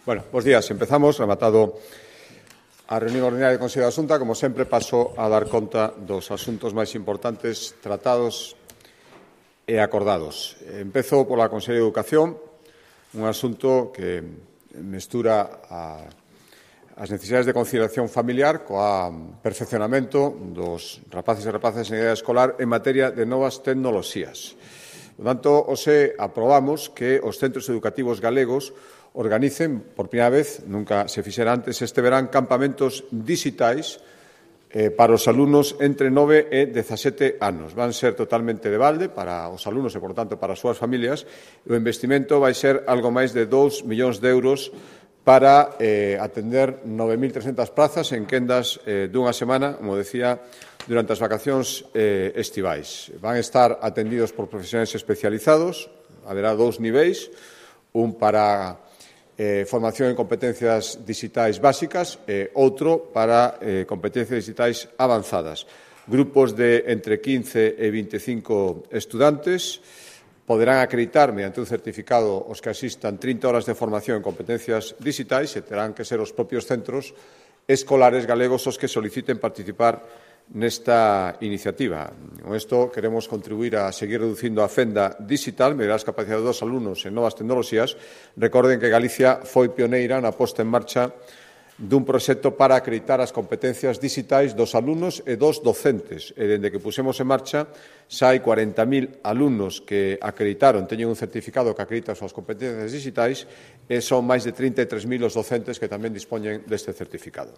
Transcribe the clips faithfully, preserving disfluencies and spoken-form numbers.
Bueno, bos días. Empezamos, rematado a reunión ordinaria do Consello da Xunta. Como sempre, paso a dar conta dos asuntos máis importantes tratados e acordados. Empezo pola Consellería de Educación, un asunto que mestura a, as necesidades de conciliación familiar coa perfeccionamento dos rapaces e rapazas en idade escolar en materia de novas tecnoloxías. Por tanto, hoxe aprobamos que os centros educativos galegos organicen, por primeira vez, nunca se fixera antes, este verán campamentos digitais eh, para os alumnos entre nove e dezasete anos. Van ser totalmente de balde para os alumnos e, por tanto, para as súas familias. O investimento vai ser algo máis de dous millóns de euros para eh, atender nove mil trescentas plazas en quendas eh, dunha semana, como decía, durante as vacacións eh, estivais. Van estar atendidos por profesionais especializados, haberá dous niveis, un para Eh, formación en competencias digitais básicas e outro para eh, competencias digitais avanzadas. Grupos de entre quince e veinticinco estudantes poderán acreditar mediante un certificado os que asistan trinta horas de formación en competencias digitais e terán que ser os propios centros escolares galegos os que soliciten participar nesta iniciativa. Con isto queremos contribuir a seguir reducindo a fenda digital, mellorar as capacidades dos alumnos en novas tecnoloxías. Recorden que Galicia foi pioneira na posta en marcha dun proxecto para acreditar as competencias digitais dos alumnos e dos docentes. E dende que pusemos en marcha, xa hai cuarenta mil alumnos que acreditaron, teñen un certificado que acredita as súas competencias digitais e son máis de trinta e tres mil os docentes que tamén dispoñen deste certificado.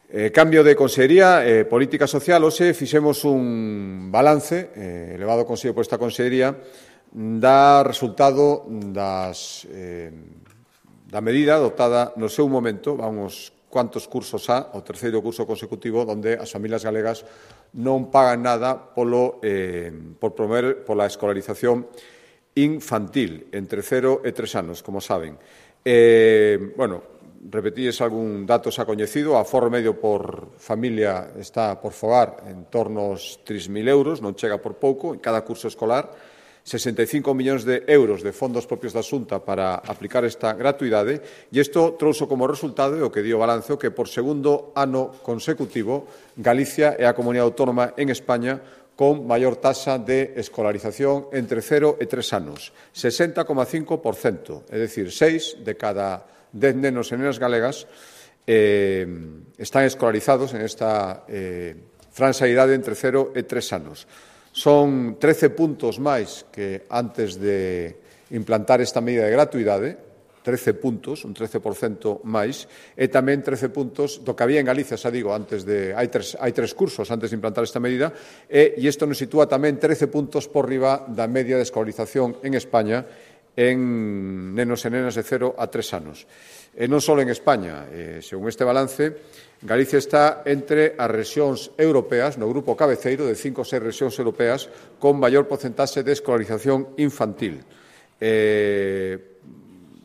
Eh, cambio de Consellería, eh, Política Social, hoxe fixemos un balance, eh, elevado consello por esta Consellería, da resultado das, eh, da medida adoptada no seu momento, vamos, cuantos cursos há, o terceiro curso consecutivo, onde as familias galegas non pagan nada polo, eh, por promover pola escolarización infantil, entre cero e tres anos, como saben. Eh, bueno, repetíes algún dato xa coñecido, o aforro medio por familia está por fogar en torno aos tres mil euros, non chega por pouco, en cada curso escolar, sesenta e cinco millóns de euros de fondos propios da Xunta para aplicar esta gratuidade, e isto trouxo como resultado, o que di o balance, que por segundo ano consecutivo Galicia é a comunidade autónoma en España con maior taxa de escolarización entre cero e tres anos, sesenta coma cinco por cento, é dicir, seis de cada dez nenos e nenas galegas eh, están escolarizados en esta eh, franxa de idade entre cero e tres anos. Son trece puntos máis que antes de implantar esta medida de gratuidade, trece puntos, un trece por cento máis, e tamén trece puntos do que había en Galicia, xa digo, antes de hai tres, hai tres cursos antes de implantar esta medida, e, e isto nos sitúa tamén trece puntos por riba da media de escolarización en España en nenos e nenas de cero a tres anos. E non só en España. Eh, según este balance, Galicia está entre as rexións europeas, no grupo cabeceiro de cinco ou seis rexións europeas, con maior porcentaxe de escolarización infantil. Eh,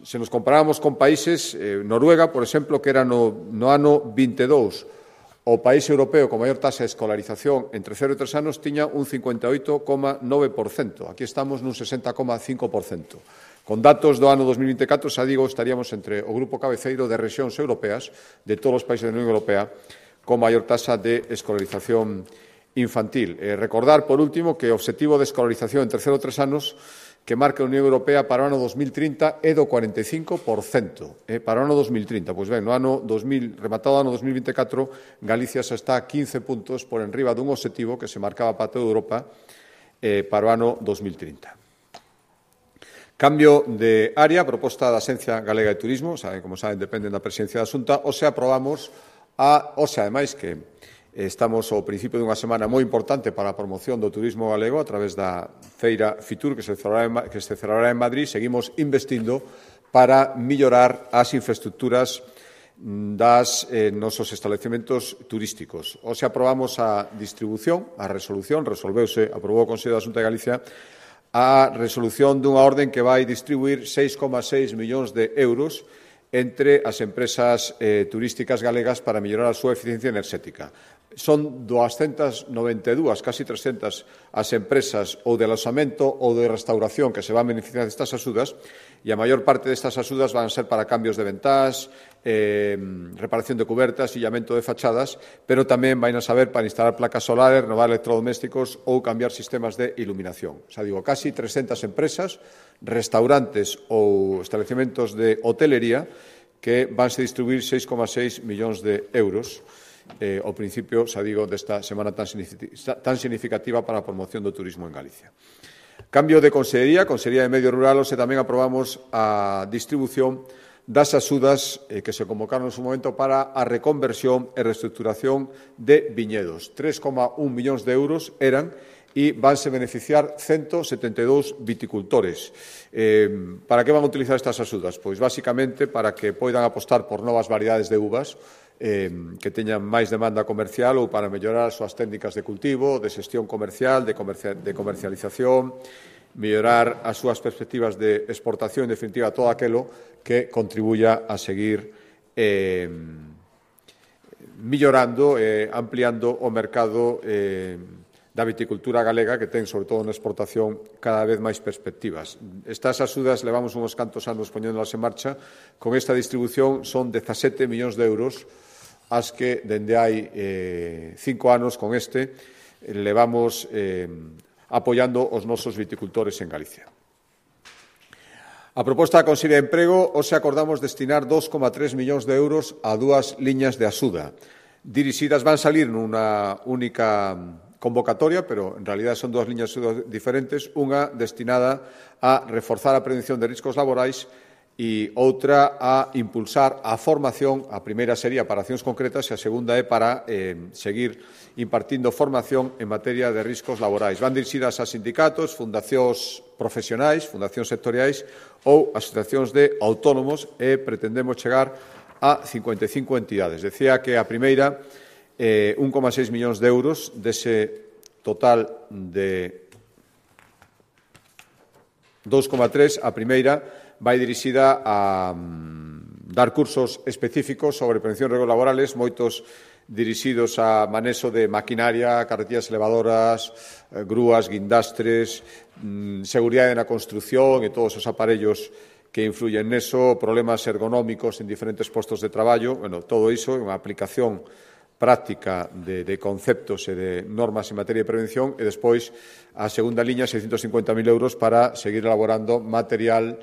se nos comparamos con países, eh, Noruega, por exemplo, que era no, no ano vinte e dous, o país europeo con maior taxa de escolarización entre cero e tres anos tiña un cincuenta e oito coma nove por cento. Aquí estamos nun sesenta coma cinco por cento. Con datos do ano dos mil vinte e catro, xa digo, estaríamos entre o grupo cabeceiro de rexións europeas, de todos os países da Unión Europea, con maior taxa de escolarización infantil. Eh, recordar, por último, que o obxectivo de escolarización entre cero e tres anos que marca a Unión Europea para o ano dos mil trinta é do cuarenta e cinco por cento. Eh, para o ano dos mil trinta, pois ben, no ano dos mil, rematado o ano dos mil vinte e catro, Galicia xa está a quince puntos por enriba dun obxectivo que se marcaba para toda Europa eh, para o ano dos mil trinta. Cambio de área, proposta da Axencia Galega de Turismo, saben, como saben, dependen da presidencia da Xunta, hoxe aprobamos a, hoxe, ademais, que estamos ao principio dunha semana moi importante para a promoción do turismo galego a través da Feira Fitur que se celebrará en, que se celebrará en Madrid. Seguimos investindo para mellorar as infraestructuras das eh, nosos establecementos turísticos. Hoxe aprobamos a distribución, a resolución, resolveuse, aprobou o Consello da Xunta de Galicia, a resolución dunha orden que vai distribuir seis coma seis millóns de euros entre as empresas eh, turísticas galegas para mellorar a súa eficiencia enerxética. Son doscientas noventa e dúas, casi trescentas, as empresas ou de aloxamento ou de restauración que se van beneficiar destas axudas, E a maior parte destas axudas van ser para cambios de ventás, eh, reparación de cubertas, illamento de fachadas, pero tamén vai a saber para instalar placas solares, renovar electrodomésticos ou cambiar sistemas de iluminación. O sea, digo, casi trescentas empresas, restaurantes ou establecementos de hotelería que vanse distribuir seis coma seis millóns de euros eh, ao principio, xa digo, desta semana tan significativa para a promoción do turismo en Galicia. Cambio de Consellería, Consellería de Medio Rural, e tamén aprobamos a distribución das axudas eh, que se convocaron en su momento para a reconversión e reestructuración de viñedos. tres coma un millóns de euros eran e vanse beneficiar ciento setenta e dous viticultores. Eh, para que van a utilizar estas axudas? Pois, basicamente, para que poidan apostar por novas variedades de uvas eh, que teñan máis demanda comercial ou para mellorar as súas técnicas de cultivo, de xestión comercial, de, comercial, de comercialización, mellorar as súas perspectivas de exportación, en definitiva, todo aquilo que contribuya a seguir eh, mellorando e eh, ampliando o mercado eh, da viticultura galega, que ten, sobre todo na exportación, cada vez máis perspectivas. Estas axudas levamos uns cantos anos poñéndolas en marcha. Con esta distribución son dezasete millóns de euros as que, dende hai eh, cinco anos con este, levamos eh, apoiando os nosos viticultores en Galicia. A proposta da Consellería de Emprego, hoxe acordamos destinar dos coma tres millóns de euros a dúas liñas de axuda. Dirixidas, van salir nunha única convocatoria, pero en realidad son dúas liñas diferentes, unha destinada a reforzar a prevención de riscos laborais e outra a impulsar a formación. A primeira sería para accións concretas e a segunda é para eh, seguir impartindo formación en materia de riscos laborais. Van dirixidas a sindicatos, fundacións profesionais, fundacións sectoriais ou asociacións de autónomos e pretendemos chegar a cincuenta e cinco entidades. Decía que a primeira, eh, un coma seis millóns de euros dese total de dos coma tres, a primeira vai dirixida a um, dar cursos específicos sobre prevención de riesgos laborales, moitos dirixidos a manexo de maquinaria, carretillas elevadoras, eh, grúas, guindastres, mm, seguridade na construción e todos os aparellos que influyen neso, problemas ergonómicos en diferentes postos de traballo. Bueno, todo iso é unha aplicación práctica de, de conceptos e de normas en materia de prevención, e despois a segunda liña, seiscentos cincuenta mil euros para seguir elaborando material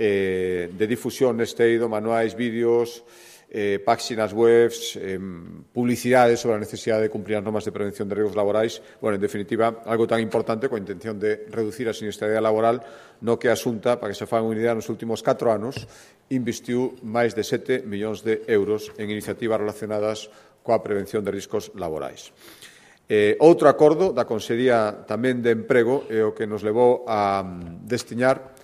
eh, de difusión neste eido, manuais, vídeos, eh, páxinas webs, eh, publicidades sobre a necesidade de cumprir as normas de prevención de riesgos laborais. Bueno, en definitiva, algo tan importante coa intención de reducir a sinistralidade laboral, no que a Xunta, para que se fagan unha idea, nos últimos catro anos investiu máis de sete millóns de euros en iniciativas relacionadas coa prevención de riscos laborais. Eh, outro acordo da Consellería tamén de Emprego é o que nos levou a destinar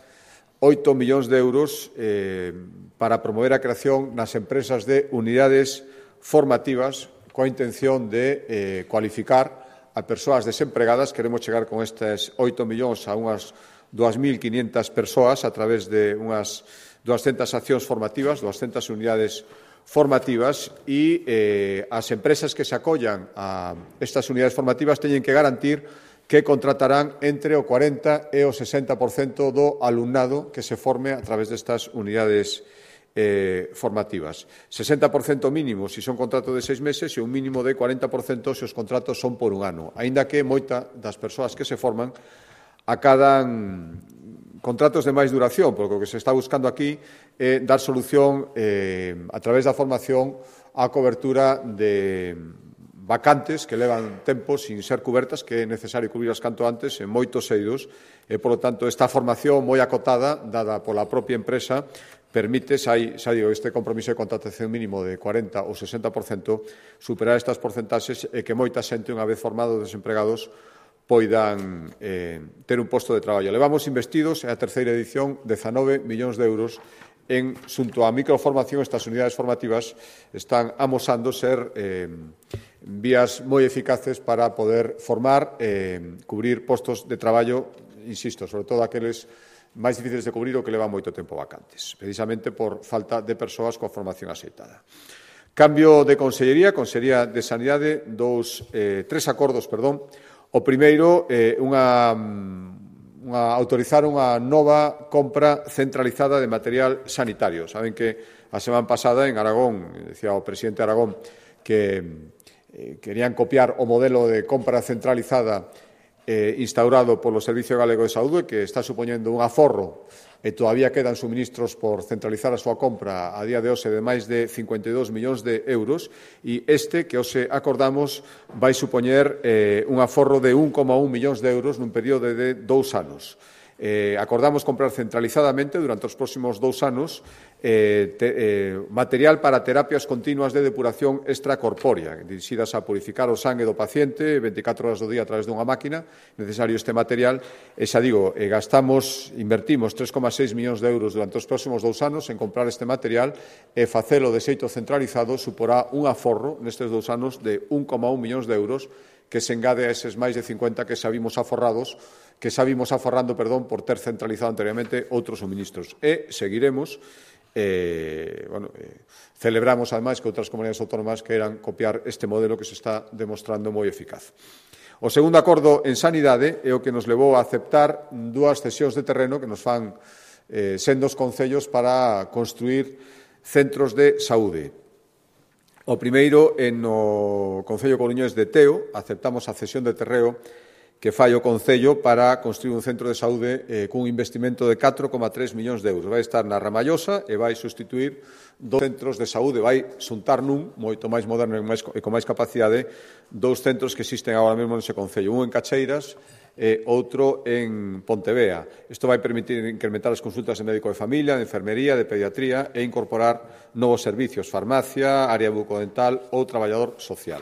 oito millóns de euros eh, para promover a creación nas empresas de unidades formativas coa intención de eh, cualificar a persoas desempregadas. Queremos chegar con estes oito millóns a unhas dúas mil quinhentas persoas a través de unhas duascentas accións formativas, duascentas unidades formativas, e eh, as empresas que se acollan a estas unidades formativas teñen que garantir que contratarán entre o cuarenta e o sesenta por cento do alumnado que se forme a través destas unidades eh, formativas. sesenta por cento mínimo se son contratos de seis meses e un mínimo de cuarenta por cento se os contratos son por un ano, aínda que moita das persoas que se forman acadan contratos de máis duración, porque o que se está buscando aquí é dar solución eh, a través da formación á cobertura de vacantes que levan tempo sin ser cubertas, que é necesario cubrirlas canto antes en moitos eidos, e, polo tanto, esta formación moi acotada, dada pola propia empresa, permite, xa, xa digo, este compromiso de contratación mínimo de cuarenta ou sesenta por cento, superar estas porcentaxes e que moita xente, unha vez formados desempregados, poidan eh, ter un posto de traballo. Levamos investidos, é a terceira edición, dezanove millóns de euros en xunto á microformación. Estas unidades formativas están amosando ser eh, vías moi eficaces para poder formar, eh, cubrir postos de traballo, insisto, sobre todo aqueles máis difíciles de cubrir ou que levan moito tempo vacantes, precisamente por falta de persoas coa formación axeitada. Cambio de Consellería, Consellería de Sanidade, dous, eh, tres acordos, perdón. O primeiro, eh, unha unha, autorizar unha nova compra centralizada de material sanitario. Saben que a semana pasada en Aragón, decía o presidente de Aragón, que eh, querían copiar o modelo de compra centralizada eh, instaurado polo Servicio Galego de Saúde, que está supoñendo un aforro e todavía quedan suministros por centralizar a súa compra a día de hoxe de máis de cincuenta e dous millóns de euros e este que hoxe acordamos vai supoñer eh, un aforro de un coma un millóns de euros nun período de dous anos. Eh, acordamos comprar centralizadamente durante os próximos dous anos eh, te, eh, material para terapias continuas de depuración extracorpórea, dirixidas a purificar o sangue do paciente veinticatro horas do día a través dunha máquina, necesario este material, e xa digo, eh, gastamos, invertimos tres coma seis millóns de euros durante os próximos dous anos en comprar este material e facelo de xeito centralizado suporá un aforro nestes dous anos de un coma un millóns de euros que se engade a eses máis de cincuenta que xa vimos aforrados que xa vimos aforrando, perdón, por ter centralizado anteriormente outros suministros. E seguiremos, eh, bueno, eh, celebramos, ademais, que outras comunidades autónomas queiran copiar este modelo que se está demostrando moi eficaz. O segundo acordo en sanidade é o que nos levou a aceptar dúas cesións de terreno que nos fan eh, sendos concellos para construir centros de saúde. O primeiro, en o Concello Coruñés de Teo, aceptamos a cesión de terreo que fai o Concello para construir un centro de saúde eh, cun investimento de catro coma tres millóns de euros. Vai estar na Ramallosa e vai sustituir dos centros de saúde, vai xuntar nun, moito máis moderno e, máis, e con máis capacidade, dous centros que existen agora mesmo nese Concello, un en Cacheiras e outro en Pontevea. Isto vai permitir incrementar as consultas de médico de familia, de enfermería, de pediatría e incorporar novos servicios, farmacia, área bucodental ou traballador social.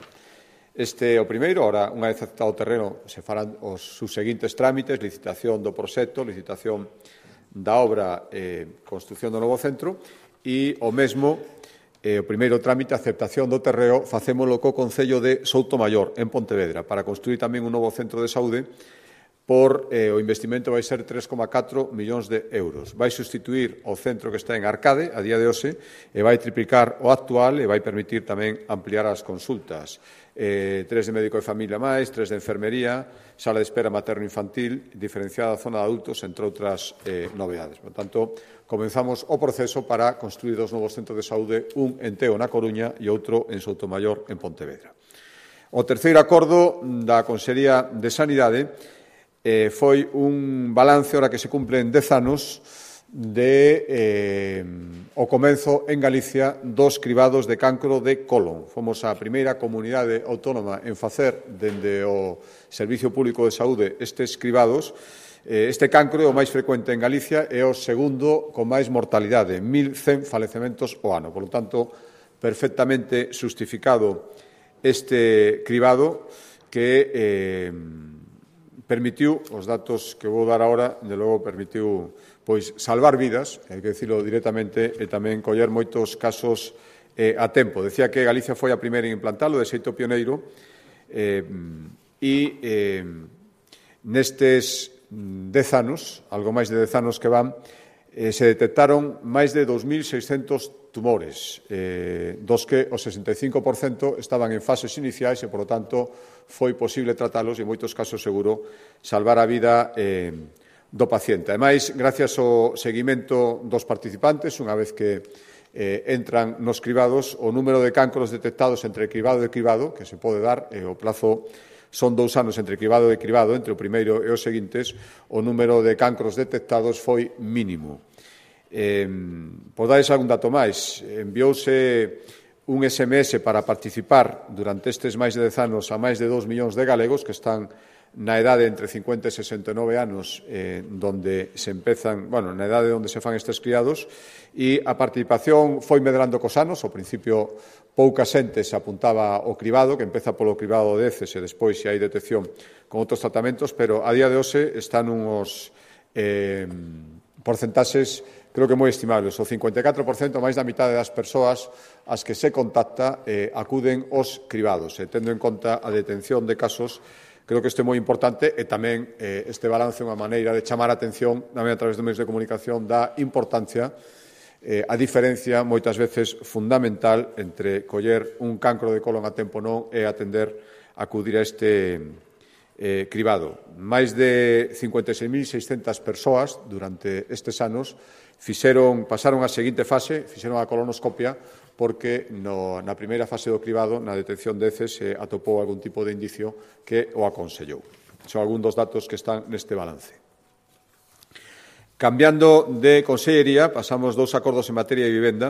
Este é o primeiro, ora, unha vez aceptado o terreno, se farán os subseguintes trámites, licitación do proxecto, licitación da obra e construción do novo centro, e o mesmo, eh, o primeiro trámite, aceptación do terreo, facémolo co Concello de Soutomaior, en Pontevedra, para construir tamén un novo centro de saúde, por eh, o investimento vai ser tres coma catro millóns de euros. Vai sustituir o centro que está en Arcade, a día de hoxe, e vai triplicar o actual e vai permitir tamén ampliar as consultas. Eh, tres de médico de familia máis, tres de enfermería, sala de espera materno-infantil, diferenciada zona de adultos, entre outras eh, novedades. Por tanto, comenzamos o proceso para construir dos novos centros de saúde, un en Teo, na Coruña, e outro en Soutomaior, en Pontevedra. O terceiro acordo da Consellería de Sanidade eh, foi un balance, ora que se cumplen dez anos, de eh, o comenzo en Galicia dos cribados de cancro de colon. Fomos a primeira comunidade autónoma en facer dende o Servicio Público de Saúde estes cribados. Eh, este cancro é o máis frecuente en Galicia e o segundo con máis mortalidade, mil cen falecementos ao ano. Por lo tanto, perfectamente justificado este cribado que eh, permitiu, os datos que vou dar agora, de logo permitiu pois salvar vidas, hai que dicilo directamente, e tamén coller moitos casos eh, a tempo. Decía que Galicia foi a primeira en implantalo, de xeito pioneiro, eh, e eh, nestes dez anos, algo máis de dez anos que van, eh, se detectaron máis de dos mil seiscentos tumores, eh, dos que o sesenta e cinco por cento estaban en fases iniciais e, por lo tanto, foi posible tratalos e, en moitos casos, seguro, salvar a vida eh, do paciente. Ademais, gracias ao seguimento dos participantes, unha vez que eh, entran nos cribados, o número de cancros detectados entre cribado e cribado, que se pode dar, e o plazo son dous anos entre cribado e cribado, entre o primeiro e os seguintes, o número de cancros detectados foi mínimo. Eh, por darles algún dato máis, enviouse un S M S para participar durante estes máis de dez anos a máis de dous millóns de galegos que están na edade entre cincuenta e sesenta e nove anos, eh, donde se empezan, bueno, na edade onde se fan estes criados, e a participación foi medrando cos anos. Ao principio, pouca xente se apuntaba ao cribado, que empeza polo cribado de heces e despois se hai detección con outros tratamentos, pero a día de hoxe están uns eh, porcentaxes, creo que moi estimables. O cincuenta e catro por cento, máis da mitade das persoas as que se contacta eh, acuden aos cribados, e tendo en conta a detención de casos, creo que isto é moi importante, e tamén eh, este balance é unha maneira de chamar a atención, tamén a través dos medios de comunicación, da importancia, eh, a diferencia, moitas veces fundamental, entre coller un cancro de colon a tempo non e atender, acudir a este, eh, cribado. Máis de cincuenta e seis mil seiscentas persoas durante estes anos fixeron, pasaron a seguinte fase, fixeron a colonoscopia, porque no, na primeira fase do cribado, na detección de heces, se atopou algún tipo de indicio que o aconsellou. Son algúns dos datos que están neste balance. Cambiando de consellería, pasamos dous acordos en materia de vivenda.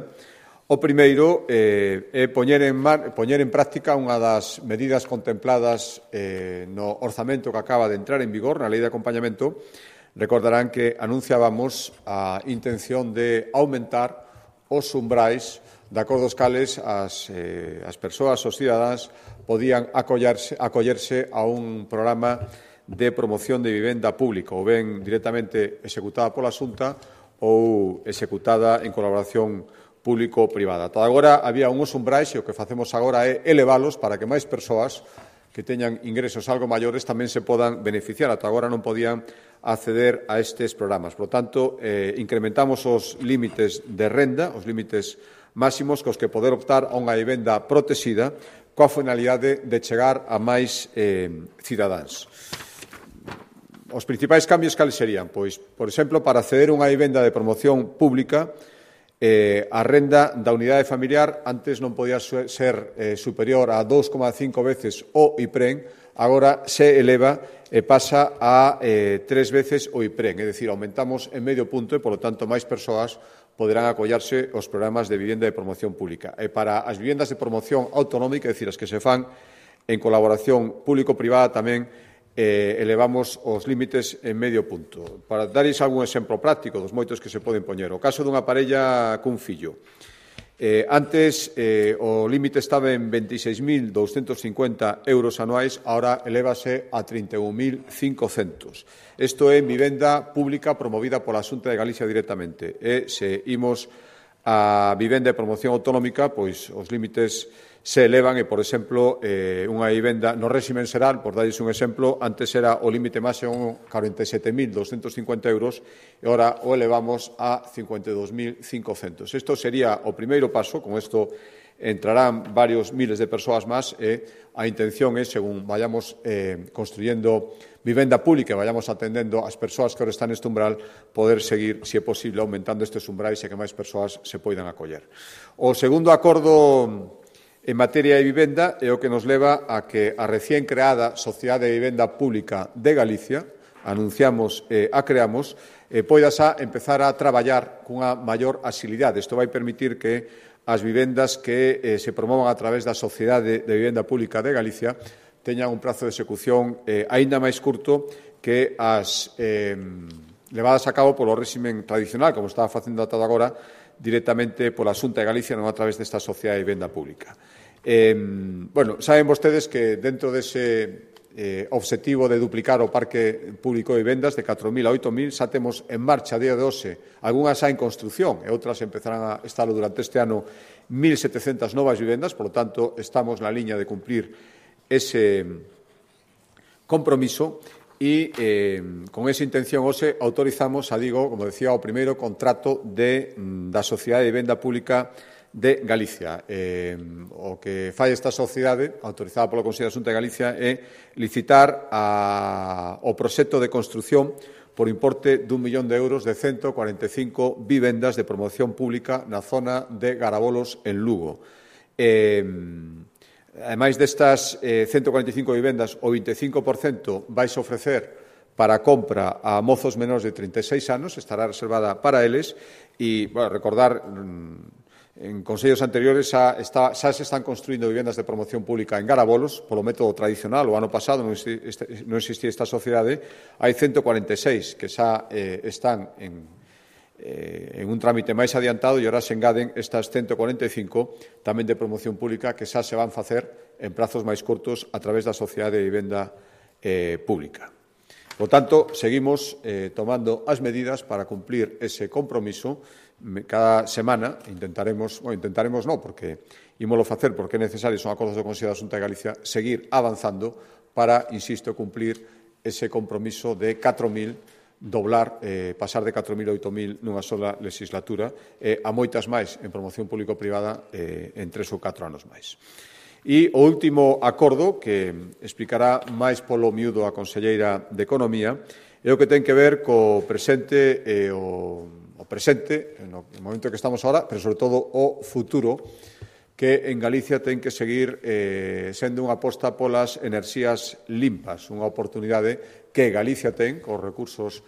O primeiro eh, é poñer en, mar, poñer en práctica unha das medidas contempladas eh, no orzamento que acaba de entrar en vigor na Lei de Acompañamento. Recordarán que anunciábamos a intención de aumentar os umbrais de acordos cales as, eh, as persoas, os cidadáns, podían acollerse, acollerse a un programa de promoción de vivenda pública, ou ben directamente executada pola Xunta ou executada en colaboración público-privada. Ata agora había unhos umbrais e o que facemos agora é elevalos para que máis persoas que teñan ingresos algo maiores tamén se podan beneficiar. Ata agora non podían acceder a estes programas. Por lo tanto, eh, incrementamos os límites de renda, os límites máximos cos que poder optar a unha vivenda protexida coa finalidade de chegar a máis eh, cidadáns. Os principais cambios cales serían? Pois, por exemplo, para acceder a unha vivenda de promoción pública, Eh, a renda da unidade familiar antes non podía ser eh, superior a dous coma cinco veces o IPREN, agora se eleva e pasa a eh, tres veces o IPREN, é dicir, aumentamos en medio punto e, polo tanto, máis persoas poderán acollarse aos programas de vivenda de promoción pública. E para as vivendas de promoción autonómica, é dicir, as que se fan en colaboración público-privada tamén, Eh, elevamos os límites en medio punto. Para darles algún exemplo práctico dos moitos que se poden poñer. O caso dunha parella cun fillo. Eh, antes eh, o límite estaba en veintiséis mil doscientos cincuenta euros anuais, ahora elévase a trinta e un mil cincocentos. Isto é en vivenda pública promovida pola Xunta de Galicia directamente. E se imos a vivenda de promoción autonómica, pois os límites se elevan e, por exemplo, eh, unha vivenda no réximen xeral, por darles un exemplo, antes era o límite máximo cuarenta e sete mil doscientos cincuenta euros e agora o elevamos a cincuenta e dous mil cincocentos. Isto sería o primeiro paso, con isto entrarán varios miles de persoas máis e a intención é, según vayamos eh, construyendo vivenda pública e vayamos atendendo as persoas que ahora están neste umbral, poder seguir, se é posible, aumentando estes umbrais e que máis persoas se poidan acoller. O segundo acordo en materia de vivenda é o que nos leva a que a recién creada Sociedade de Vivenda Pública de Galicia, anunciamos e a creamos, eh, poida xa empezar a traballar cunha maior axilidade. Isto vai permitir que as vivendas que eh, se promovan a través da Sociedade de Vivenda Pública de Galicia teñan un prazo de execución eh, aínda máis curto que as eh, levadas a cabo polo réximen tradicional, como estaba facendo ata agora, directamente pola Xunta de Galicia, non a través desta Sociedade de Vivenda Pública. Eh, bueno, saben vostedes que dentro dese eh, obxectivo de duplicar o parque público de vivendas de catro mil a oito mil, xa temos en marcha a día de hoxe, algunhas xa en construción e outras empezarán a estar durante este ano mil setecentas novas vivendas, por lo tanto, estamos na liña de cumplir ese compromiso e eh, con esa intención hoxe autorizamos, a digo, como decía, o primeiro contrato de, da Sociedade de Vivenda Pública de Galicia. Eh, o que fai esta sociedade, autorizada polo Consello da Xunta de Galicia, é licitar a, o proxecto de construción por importe dun millón de euros de ciento cuarenta e cinco vivendas de promoción pública na zona de Garabolos, en Lugo. Eh, ademais destas eh, ciento cuarenta e cinco vivendas, o vinte e cinco por cento vais a ofrecer para compra a mozos menores de trinta e seis anos, estará reservada para eles, e, bueno, recordar, en consellos anteriores xa, está, xa se están construindo vivendas de promoción pública en Garabolos, polo método tradicional. O ano pasado non existía esta sociedade, hai ciento cuarenta e seis que xa eh, están en, eh, en un trámite máis adiantado e agora se engaden estas ciento cuarenta e cinco tamén de promoción pública que xa se van facer en prazos máis curtos a través da Sociedade de Vivenda eh, Pública. Por tanto, seguimos eh, tomando as medidas para cumplir ese compromiso. Cada semana intentaremos, bueno, intentaremos non, porque ímolo facer porque é necesario, son acordos do Consello da Xunta de Galicia, seguir avanzando para, insisto, cumplir ese compromiso de catro mil, doblar, eh, pasar de catro mil a oito mil nunha sola legislatura, eh, a moitas máis en promoción público-privada eh, en tres ou catro anos máis. E o último acordo, que explicará máis polo miúdo a conselleira de Economía, é o que ten que ver co presente e o, o presente, no momento que estamos agora, pero sobre todo o futuro, que en Galicia ten que seguir eh, sendo unha aposta polas enerxías limpas, unha oportunidade que Galicia ten, cos recursos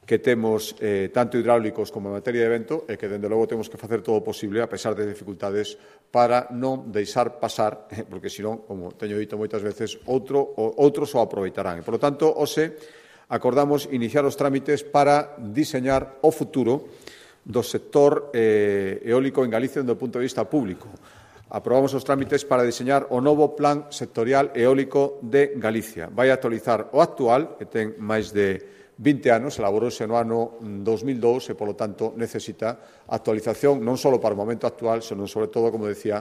que temos eh, tanto hidráulicos como en materia de vento e que, dende logo, temos que facer todo o posible, a pesar de dificultades, para non deixar pasar, porque, senón, como teño dito moitas veces, outro, outros o aproveitarán. E, por lo tanto, hoxe acordamos iniciar os trámites para diseñar o futuro do sector eh, eólico en Galicia desde o punto de vista público. Aprobamos os trámites para diseñar o novo Plan Sectorial Eólico de Galicia. Vai actualizar o actual, que ten máis de vinte anos, elaborouse no ano dos mil dous e, polo tanto, necesita actualización non só para o momento actual, senón, sobre todo, como decía,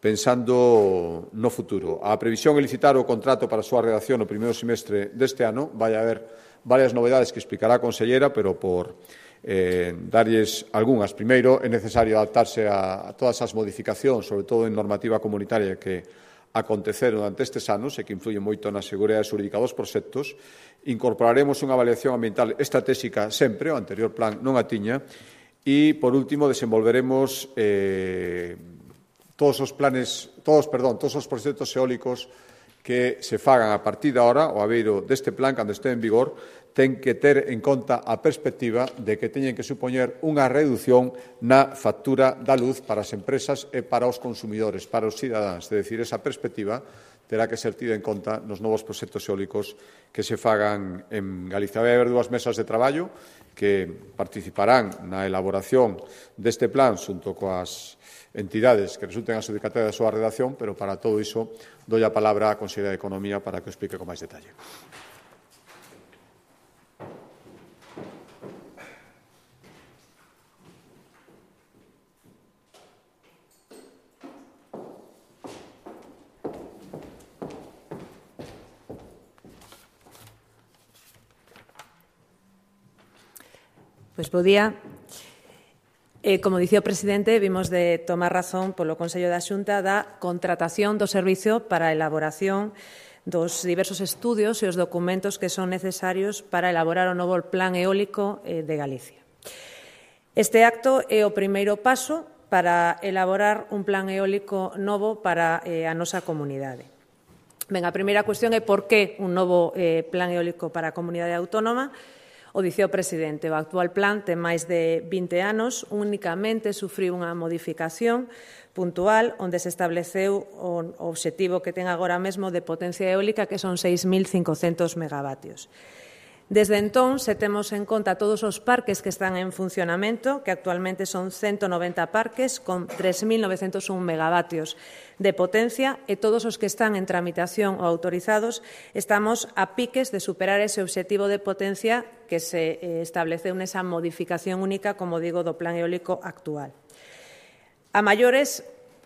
pensando no futuro. A previsión é licitar o contrato para a súa redacción no primeiro semestre deste ano. Vai haber varias novedades que explicará a conselleira, pero por eh, darlles algunhas. Primeiro, é necesario adaptarse a, a todas as modificacións, sobre todo en normativa comunitaria, que aconteceron durante estes anos e que influyen moito na seguridade xurídica dos proxectos. Incorporaremos unha avaliación ambiental estratégica sempre, o anterior plan non a tiña, e, por último, desenvolveremos eh, todos os planes, todos, perdón, todos os proxectos eólicos que se fagan a partir de ahora, o abeiro deste plan, cando este en vigor, ten que ter en conta a perspectiva de que teñen que supoñer unha reducción na factura da luz para as empresas e para os consumidores, para os cidadáns. É dicir, esa perspectiva terá que ser tida en conta nos novos proxectos eólicos que se fagan en Galicia. Vai haber dúas mesas de traballo que participarán na elaboración deste plan xunto coas entidades que resulten adxudicatarias da súa redacción, pero para todo iso dou a palabra á conselleira de Economía para que o explique con máis detalle. Pois bo día. Eh, como dicía o presidente, vimos de tomar razón polo Consello da Xunta da contratación do servizo para a elaboración dos diversos estudios e os documentos que son necesarios para elaborar o novo Plan Eólico eh, de Galicia. Este acto é o primeiro paso para elaborar un plan eólico novo para eh, a nosa comunidade. Ben, a primeira cuestión é por que un novo eh, plan eólico para a comunidade autónoma. O dicía o presidente, o actual plan ten máis de vinte anos, únicamente sufriu unha modificación puntual onde se estableceu o obxectivo que ten agora mesmo de potencia eólica, que son seis mil cincocentos megavatios. Desde entón, se temos en conta todos os parques que están en funcionamento, que actualmente son ciento noventa parques con tres mil novecentos un megavatios de potencia, e todos os que están en tramitación ou autorizados, estamos a piques de superar ese obxectivo de potencia que se estableceu nesa modificación única, como digo, do plan eólico actual. A maiores,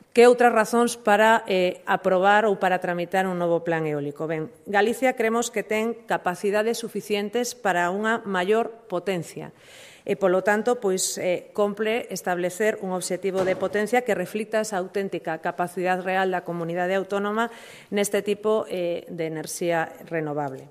que outras razóns para eh, aprobar ou para tramitar un novo plan eólico? Ben, Galicia creemos que ten capacidades suficientes para unha maior potencia e, polo tanto, pois, eh, compre establecer un obxectivo de potencia que reflita esa auténtica capacidade real da comunidade autónoma neste tipo eh, de enerxía renovable.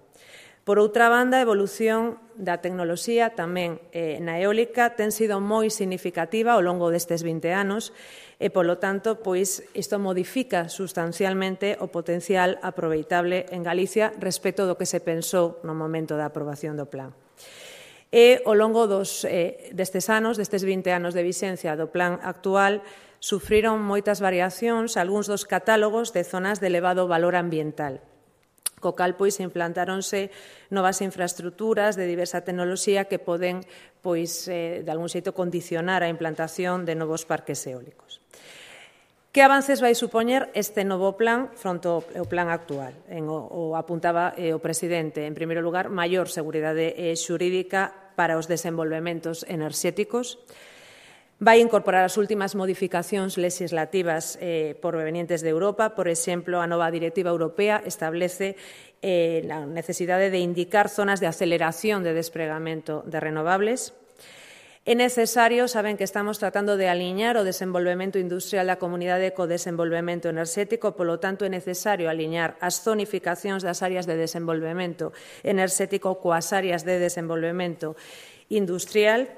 Por outra banda, a evolución da tecnoloxía tamén eh, na eólica ten sido moi significativa ao longo destes vinte anos e, polo tanto, pois, isto modifica sustancialmente o potencial aproveitable en Galicia respecto do que se pensou no momento da aprobación do plan. E, ao longo dos, eh, destes anos, destes vinte anos de vixencia do plan actual, sufriron moitas variacións algúns dos catálogos de zonas de elevado valor ambiental. Co cal, pois, implantáronse novas infraestructuras de diversa tecnoloxía que poden, pois, eh, de algún xeito condicionar a implantación de novos parques eólicos. Que avances vai supoñer este novo plan fronte ao plan actual? En o, o apuntaba eh, o presidente. En primeiro lugar, maior seguridade eh, xurídica para os desenvolvementos enerxéticos. Vai incorporar as últimas modificacións legislativas eh, provenientes de Europa. Por exemplo, a nova directiva europea establece eh, a necesidade de indicar zonas de aceleración de despregamento de renovables. É necesario, saben que estamos tratando de aliñar o desenvolvemento industrial da comunidade co desenvolvemento enerxético, polo tanto é necesario aliñar as zonificacións das áreas de desenvolvemento enerxético coas áreas de desenvolvemento industrial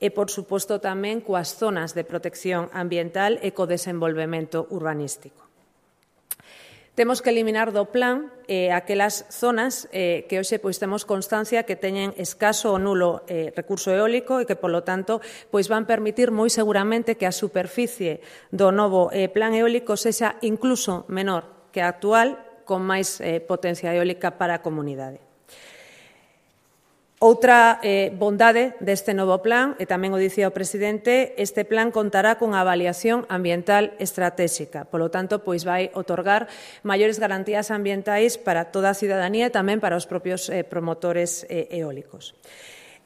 e, por suposto, tamén coas zonas de protección ambiental e co desenvolvemento urbanístico. Temos que eliminar do plan eh, aquelas zonas eh, que hoxe pois, temos constancia que teñen escaso ou nulo eh, recurso eólico e que, polo tanto, pois, van permitir moi seguramente que a superficie do novo eh, plan eólico sexa incluso menor que a actual, con máis eh, potencia eólica para a comunidade. Outra eh, bondade deste novo plan, e tamén o dicía o presidente, este plan contará cunha avaliación ambiental estratégica. Polo tanto, pois vai otorgar maiores garantías ambientais para toda a cidadanía e tamén para os propios eh, promotores eh, eólicos.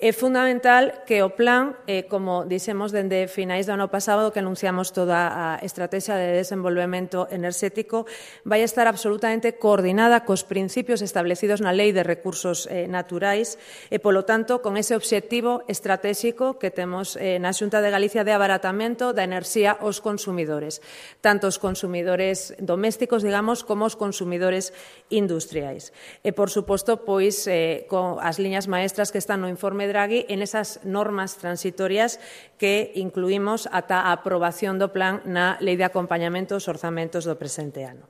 É fundamental que o plan, eh, como dixemos dende finais do ano pasado, que anunciamos toda a estrategia de desenvolvemento enerxético, vai estar absolutamente coordinada cos principios establecidos na Lei de Recursos eh, Naturais e, polo tanto, con ese obxectivo estratégico que temos eh, na Xunta de Galicia de abaratamento da enerxía aos consumidores, tanto os consumidores domésticos, digamos, como os consumidores industriais. E, por suposto, pois, eh, con as liñas maestras que están no informe Draghi en esas normas transitorias que incluímos ata a aprobación do plan na Lei de Acompañamento aos Orzamentos do presente ano.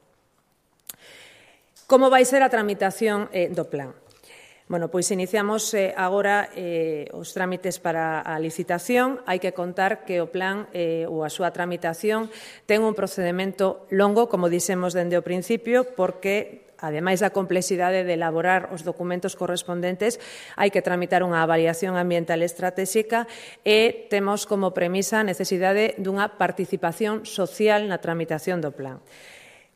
Como vai ser a tramitación eh, do plan? Bueno, pois iniciamos eh, agora eh, os trámites para a licitación. Hai que contar que o plan eh, ou a súa tramitación ten un procedimento longo, como dixemos dende o principio, porque ademais da complexidade de elaborar os documentos correspondentes, hai que tramitar unha avaliación ambiental estratégica e temos como premisa a necesidade dunha participación social na tramitación do plan.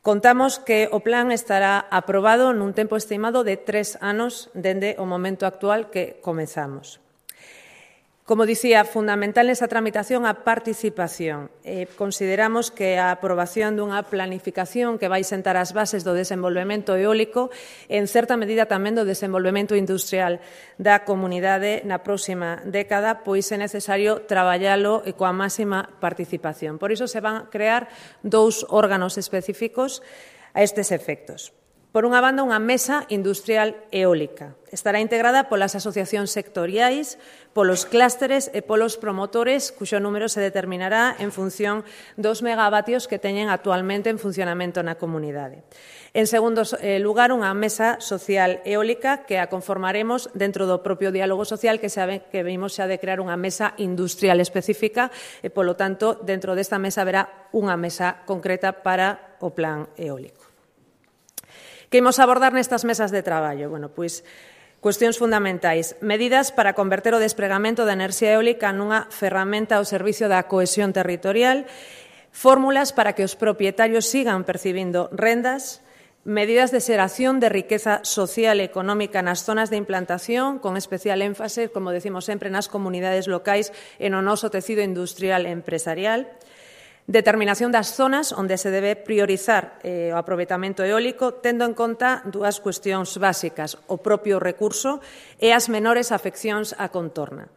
Contamos que o plan estará aprobado nun tempo estimado de tres anos dende o momento actual que comezamos. Como dicía, fundamental nesa tramitación a participación. Eh, consideramos que a aprobación dunha planificación que vai sentar as bases do desenvolvemento eólico, en certa medida tamén do desenvolvemento industrial da comunidade na próxima década, pois é necesario traballalo coa máxima participación. Por iso se van a crear dous órganos específicos a estes efectos. Por unha banda, unha mesa industrial eólica. Estará integrada polas asociacións sectoriais, polos clústeres e polos promotores, cuxo número se determinará en función dos megavatios que teñen actualmente en funcionamento na comunidade. En segundo lugar, unha mesa social eólica que a conformaremos dentro do propio diálogo social que sabe que vimos xa de crear unha mesa industrial específica e, polo tanto, dentro desta mesa haberá unha mesa concreta para o plan eólico. Que imos abordar nestas mesas de traballo? Bueno, pois, cuestións fundamentais. Medidas para converter o despregamento da enerxía eólica nunha ferramenta ao servicio da cohesión territorial, fórmulas para que os propietarios sigan percibindo rendas, medidas de xeración de riqueza social e económica nas zonas de implantación, con especial énfase, como decimos sempre, nas comunidades locais e no noso tecido industrial e empresarial, determinación das zonas onde se debe priorizar eh, o aproveitamento eólico, tendo en conta dúas cuestións básicas, o propio recurso e as menores afeccións á contorna.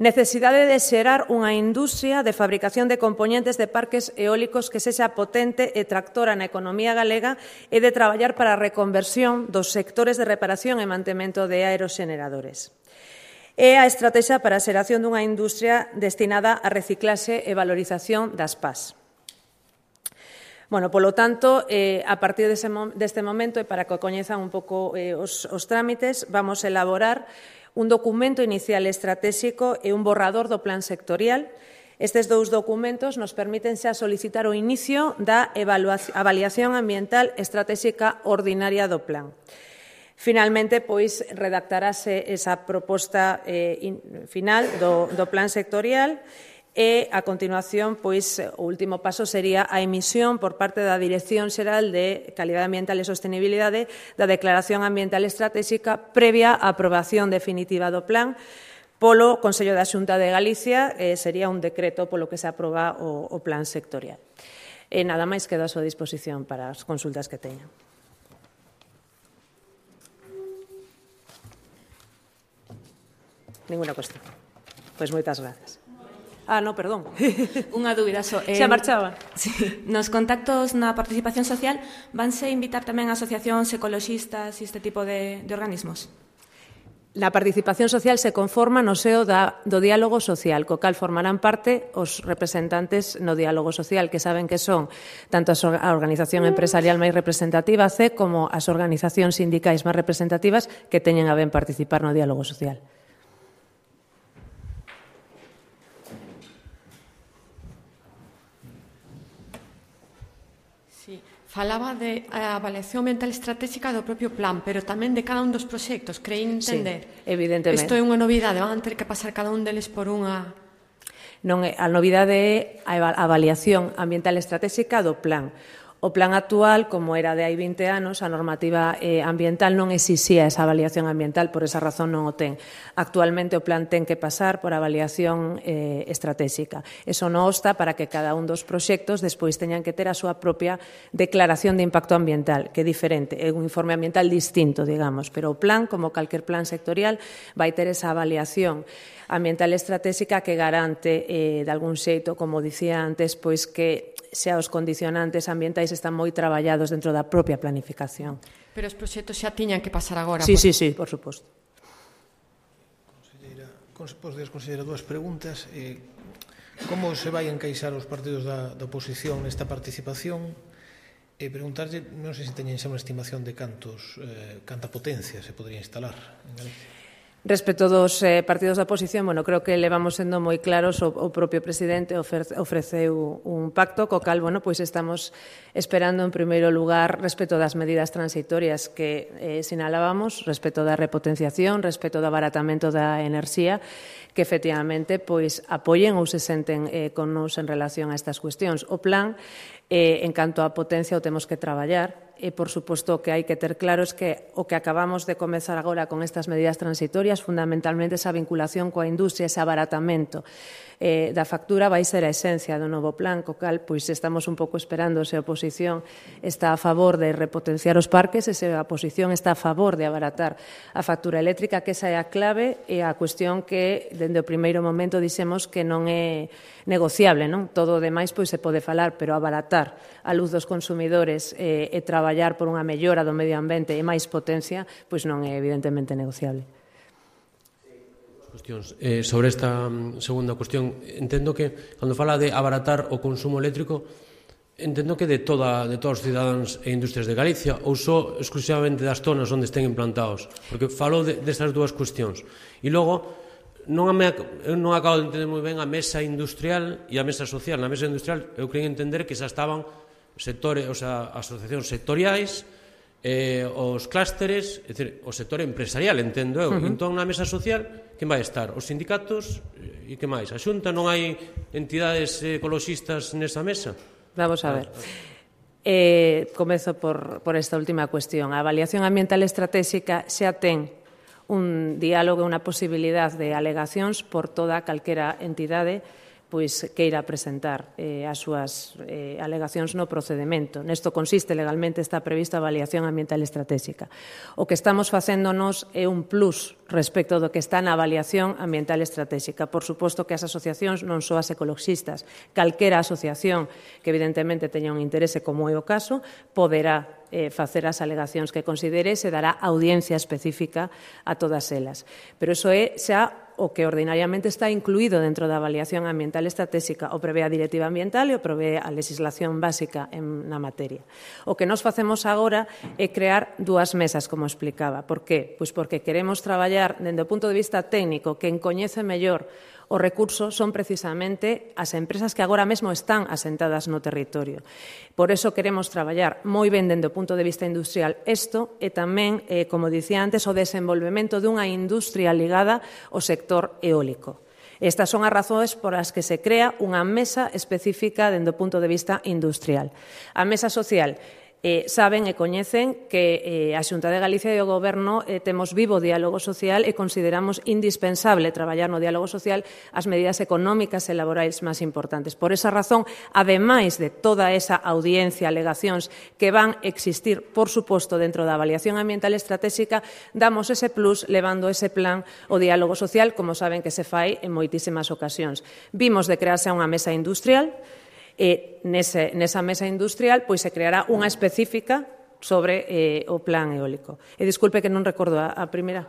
Necesidade de xerar unha industria de fabricación de compoñentes de parques eólicos que sexa potente e tractora na economía galega e de traballar para a reconversión dos sectores de reparación e mantemento de aeroxeneradores. É a estratexia para a xeración dunha industria destinada a reciclaxe e valorización das P A S. Bueno, polo tanto, eh, a partir dese, deste momento, e para que coñezan un pouco eh, os, os trámites, vamos a elaborar un documento inicial estratégico e un borrador do plan sectorial. Estes dous documentos nos permiten xa solicitar o inicio da avaliación ambiental estratégica ordinaria do plan. Finalmente, pois, redactarase esa proposta eh, in, final do, do plan sectorial e, a continuación, pois, o último paso sería a emisión por parte da Dirección Xeral de Calidade Ambiental e Sostenibilidade da Declaración Ambiental Estratégica previa á aprobación definitiva do plan polo Consello da Xunta de Galicia, eh, sería un decreto polo que se aproba o, o plan sectorial. E nada máis, quedo a súa disposición para as consultas que teñan. Ninguna cuestión. Pois moitas grazas. Ah, no, perdón. Unha dúbida só. Xa marchaba. Sí. Nos contactos na participación social vanse invitar tamén asociacións ecoloxistas e este tipo de, de organismos? Na participación social se conforma no seo da, do diálogo social, co cal formarán parte os representantes no diálogo social, que saben que son tanto a organización empresarial máis representativa, C, como as organizacións sindicais máis representativas que teñen a ben participar no diálogo social. Falaba de a avaliación ambiental estratégica do propio plan, pero tamén de cada un dos proxectos. Creí entender. Sí, evidentemente. Isto é unha novidade, van ter que pasar cada un deles por unha... Non é, a novidade é a avaliación ambiental estratégica do plan. O plan actual, como era de hai vinte anos, a normativa eh, ambiental non exixía esa avaliación ambiental, por esa razón non o ten. Actualmente o plan ten que pasar por avaliación eh, estratégica. Eso non obsta para que cada un dos proxectos despois teñan que ter a súa propia declaración de impacto ambiental, que é diferente, é un informe ambiental distinto, digamos, pero o plan, como calquer plan sectorial, vai ter esa avaliación ambiental estratégica que garante, eh, de algún xeito, como dicía antes, pois que xa os condicionantes ambientais están moi traballados dentro da propia planificación. Pero os proxectos xa tiñan que pasar agora. Sí, sí, sí, por suposto. Conselleira, podes considerar dúas preguntas. Eh, como se vai encaixar os partidos da, da oposición nesta participación? E preguntarlle, non sei se teñen xa unha estimación de cantos, eh, canta potencia se podría instalar en Galicia. Respecto dos eh, partidos da oposición, bueno, creo que levamos sendo moi claros, o, o propio presidente ofreceu un pacto co cal, bueno, pois estamos esperando en primeiro lugar respecto das medidas transitorias que eh, sinalábamos, respecto da repotenciación, respecto do abaratamento da enerxía, que efectivamente pois apoien ou se senten eh, con nos en relación a estas cuestións. O plan, eh, en canto a potencia, o temos que traballar. E, por suposto, o que hai que ter claro é que o que acabamos de comezar agora con estas medidas transitorias, fundamentalmente esa vinculación coa industria, ese abaratamento eh, da factura, vai ser a esencia do novo plan, co cal pois estamos un pouco esperando se a oposición está a favor de repotenciar os parques e se a oposición está a favor de abaratar a factura eléctrica, que esa é a clave e a cuestión que, dende o primeiro momento, dixemos que non é negociable, non? Todo o demais pois se pode falar, pero abaratar a luz dos consumidores eh, e traballar por unha mellora do medio ambiente e máis potencia, pois non é evidentemente negociable. Cuestións. Eh, sobre esta segunda cuestión, entendo que, cando fala de abaratar o consumo eléctrico, entendo que de, toda, de todos os cidadáns e industrias de Galicia, ou só exclusivamente das zonas onde estén implantados, porque falo de, destas dúas cuestións. E logo, non, me, eu non acabo de entender moi ben a mesa industrial e a mesa social. Na mesa industrial eu creio entender que xa estaban sectores, o sea, asociacións sectoriais, eh, os clústeres, é dicir, o sector empresarial, entendo eu. Uh -huh. Entón, na mesa social, quen vai estar? Os sindicatos e que máis? A Xunta? Non hai entidades ecoloxistas nesa mesa? Vamos a ver. Eh, comezo por, por esta última cuestión. A avaliación ambiental estratégica xa ten un diálogo e unha posibilidad de alegacións por toda calquera entidade pois queira presentar eh, as súas eh, alegacións no procedimento. Nesto consiste, legalmente está prevista a avaliación ambiental estratégica. O que estamos facéndonos é un plus respecto do que está na avaliación ambiental estratégica. Por suposto que as asociacións non só as ecoloxistas, calquera asociación que evidentemente teña un interese, como é o caso, poderá eh, facer as alegacións que considere e se dará audiencia específica a todas elas. Pero iso é xa o que ordinariamente está incluído dentro da avaliación ambiental estratégica, o prevé a Directiva Ambiental e o prevé a legislación básica en, na materia. O que nos facemos agora é crear dúas mesas, como explicaba. Por qué? Pois porque queremos traballar dende o punto de vista técnico, quen coñece mellor os recursos son precisamente as empresas que agora mesmo están asentadas no territorio. Por eso queremos traballar moi ben dende o punto de vista industrial isto e tamén, eh, como dicía antes, o desenvolvemento dunha industria ligada ao sector eólico. Estas son as razóns por as que se crea unha mesa específica dende o punto de vista industrial. A mesa social eh, saben e coñecen que eh, a Xunta de Galicia e o Goberno eh, temos vivo diálogo social e consideramos indispensable traballar no diálogo social as medidas económicas e laborais máis importantes. Por esa razón, ademais de toda esa audiencia, alegacións que van existir, por suposto, dentro da avaliación ambiental estratégica, damos ese plus levando ese plan o diálogo social, como saben que se fai en moitísimas ocasións. Vimos de crearse unha mesa industrial, e nese, nesa mesa industrial pois se creará unha específica sobre eh, o plan eólico. E disculpe que non recordo a, a primeira.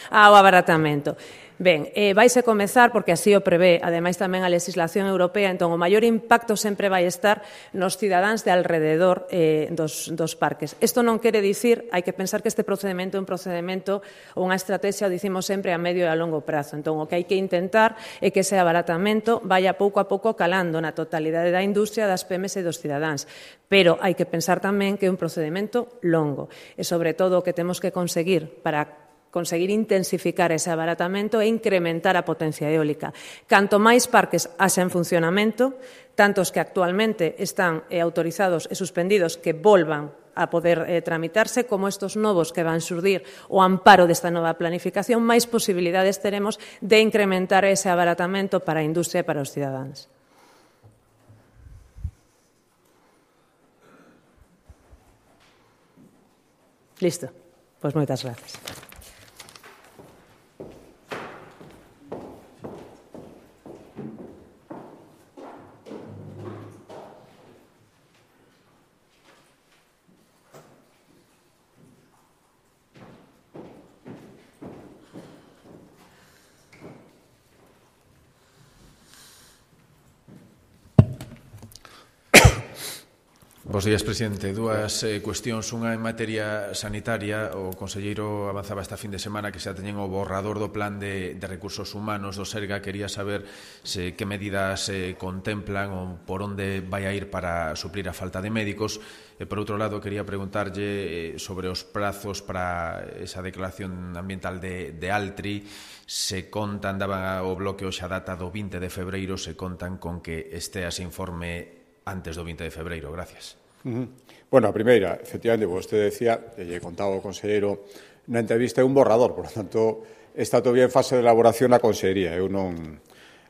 Ah, o abaratamento. Ben, eh, vaise comezar, porque así o prevé, ademais tamén a legislación europea, entón o maior impacto sempre vai estar nos cidadáns de alrededor eh, dos, dos parques. Isto non quere dicir, hai que pensar que este procedimento é un procedimento ou unha estrategia, o dicimos sempre, a medio e a longo prazo. Entón, o que hai que intentar é que ese abaratamento vaya pouco a pouco calando na totalidade da industria, das P M E e dos cidadáns. Pero hai que pensar tamén que é un procedimento longo. E, sobre todo, o que temos que conseguir para conseguir intensificar ese abaratamento e incrementar a potencia eólica. Canto máis parques haxa en funcionamento, tantos que actualmente están eh, autorizados e suspendidos que volvan a poder eh, tramitarse, como estos novos que van xurdir o amparo desta nova planificación, máis posibilidades teremos de incrementar ese abaratamento para a industria e para os cidadáns. Listo. Pois moitas gracias. Bos días, presidente. Dúas eh, cuestións. Unha en materia sanitaria. O conselleiro avanzaba esta fin de semana que xa teñen o borrador do plan de, de recursos humanos do Serga. Quería saber se, que medidas eh, contemplan ou por onde vai a ir para suplir a falta de médicos. E, por outro lado, quería preguntarlle eh, sobre os prazos para esa declaración ambiental de, de Altri. Se contan, daba o bloque hoxe a data do vinte de febreiro, se contan con que este ese informe antes do vinte de febreiro. Gracias. Uh-huh. Bueno, a primeira, efectivamente, vostede decía, e lle contaba o conselleiro na entrevista, é un borrador, por lo tanto, está todavía en fase de elaboración na consellería. Eu non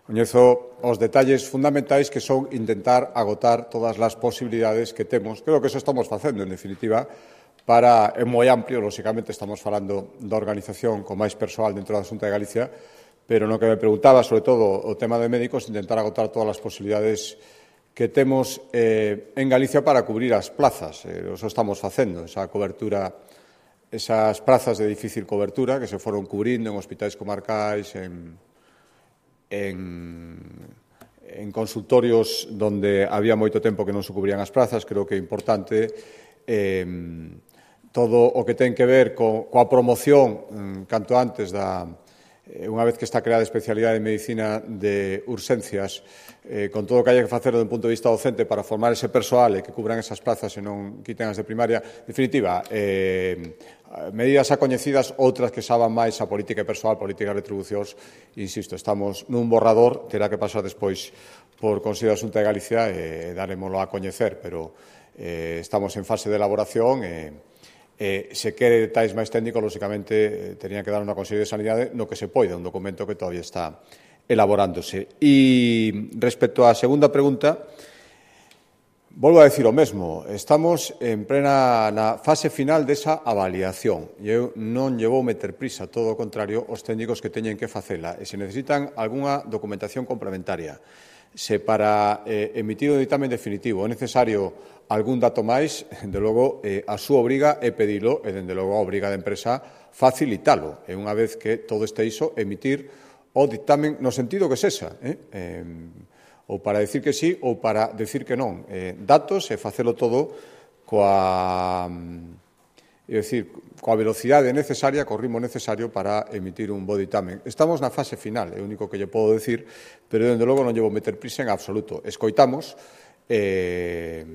coñezo os detalles fundamentais que son intentar agotar todas as posibilidades que temos. Creo que eso estamos facendo, en definitiva, para, é moi amplio, lóxicamente estamos falando da organización con máis persoal dentro da Xunta de Galicia, pero no que me preguntaba, sobre todo, o tema de médicos, intentar agotar todas as posibilidades que temos eh, en Galicia para cubrir as plazas. Eh, eso estamos facendo, esa cobertura, esas plazas de difícil cobertura que se foron cubrindo en hospitais comarcais, en, en, en consultorios donde había moito tempo que non se cubrían as plazas. Creo que é importante eh, todo o que ten que ver co, coa promoción mm, canto antes da unha vez que está creada a especialidade de medicina de urxencias, eh, con todo o que haya que facer do punto de vista docente para formar ese persoal e que cubran esas plazas e non quiten as de primaria, definitiva, eh, medidas acoñecidas, outras que saban máis a política persoal, política de retribucións, insisto, estamos nun borrador, terá que pasar despois por Consello da Xunta de Galicia e darémoslo a coñecer, pero eh, estamos en fase de elaboración e Eh, se quere detalles máis técnicos, lóxicamente, eh, terían que dar unha Consellería de Sanidade no que se poida, un documento que todavía está elaborándose. E respecto á segunda pregunta, volvo a decir o mesmo. Estamos en plena na fase final desa avaliación. E eu non lle vou meter prisa, todo o contrario, os técnicos que teñen que facela. E se necesitan algunha documentación complementaria, se para eh, emitir o ditamen definitivo é necesario algún dato máis, dende logo, eh, a súa obriga é pedilo e, dende logo, a obriga da empresa facilitalo. E unha vez que todo este iso, emitir o ditamen no sentido que sexa, eh? Eh, ou para decir que sí ou para decir que non. Eh, datos e facelo todo coa, é dicir, coa velocidade necesaria, co ritmo necesario para emitir un bo ditamen. Estamos na fase final, é o único que lle podo decir, pero, dende logo, non lle vou meter prisa en absoluto. Escoitamos, eh,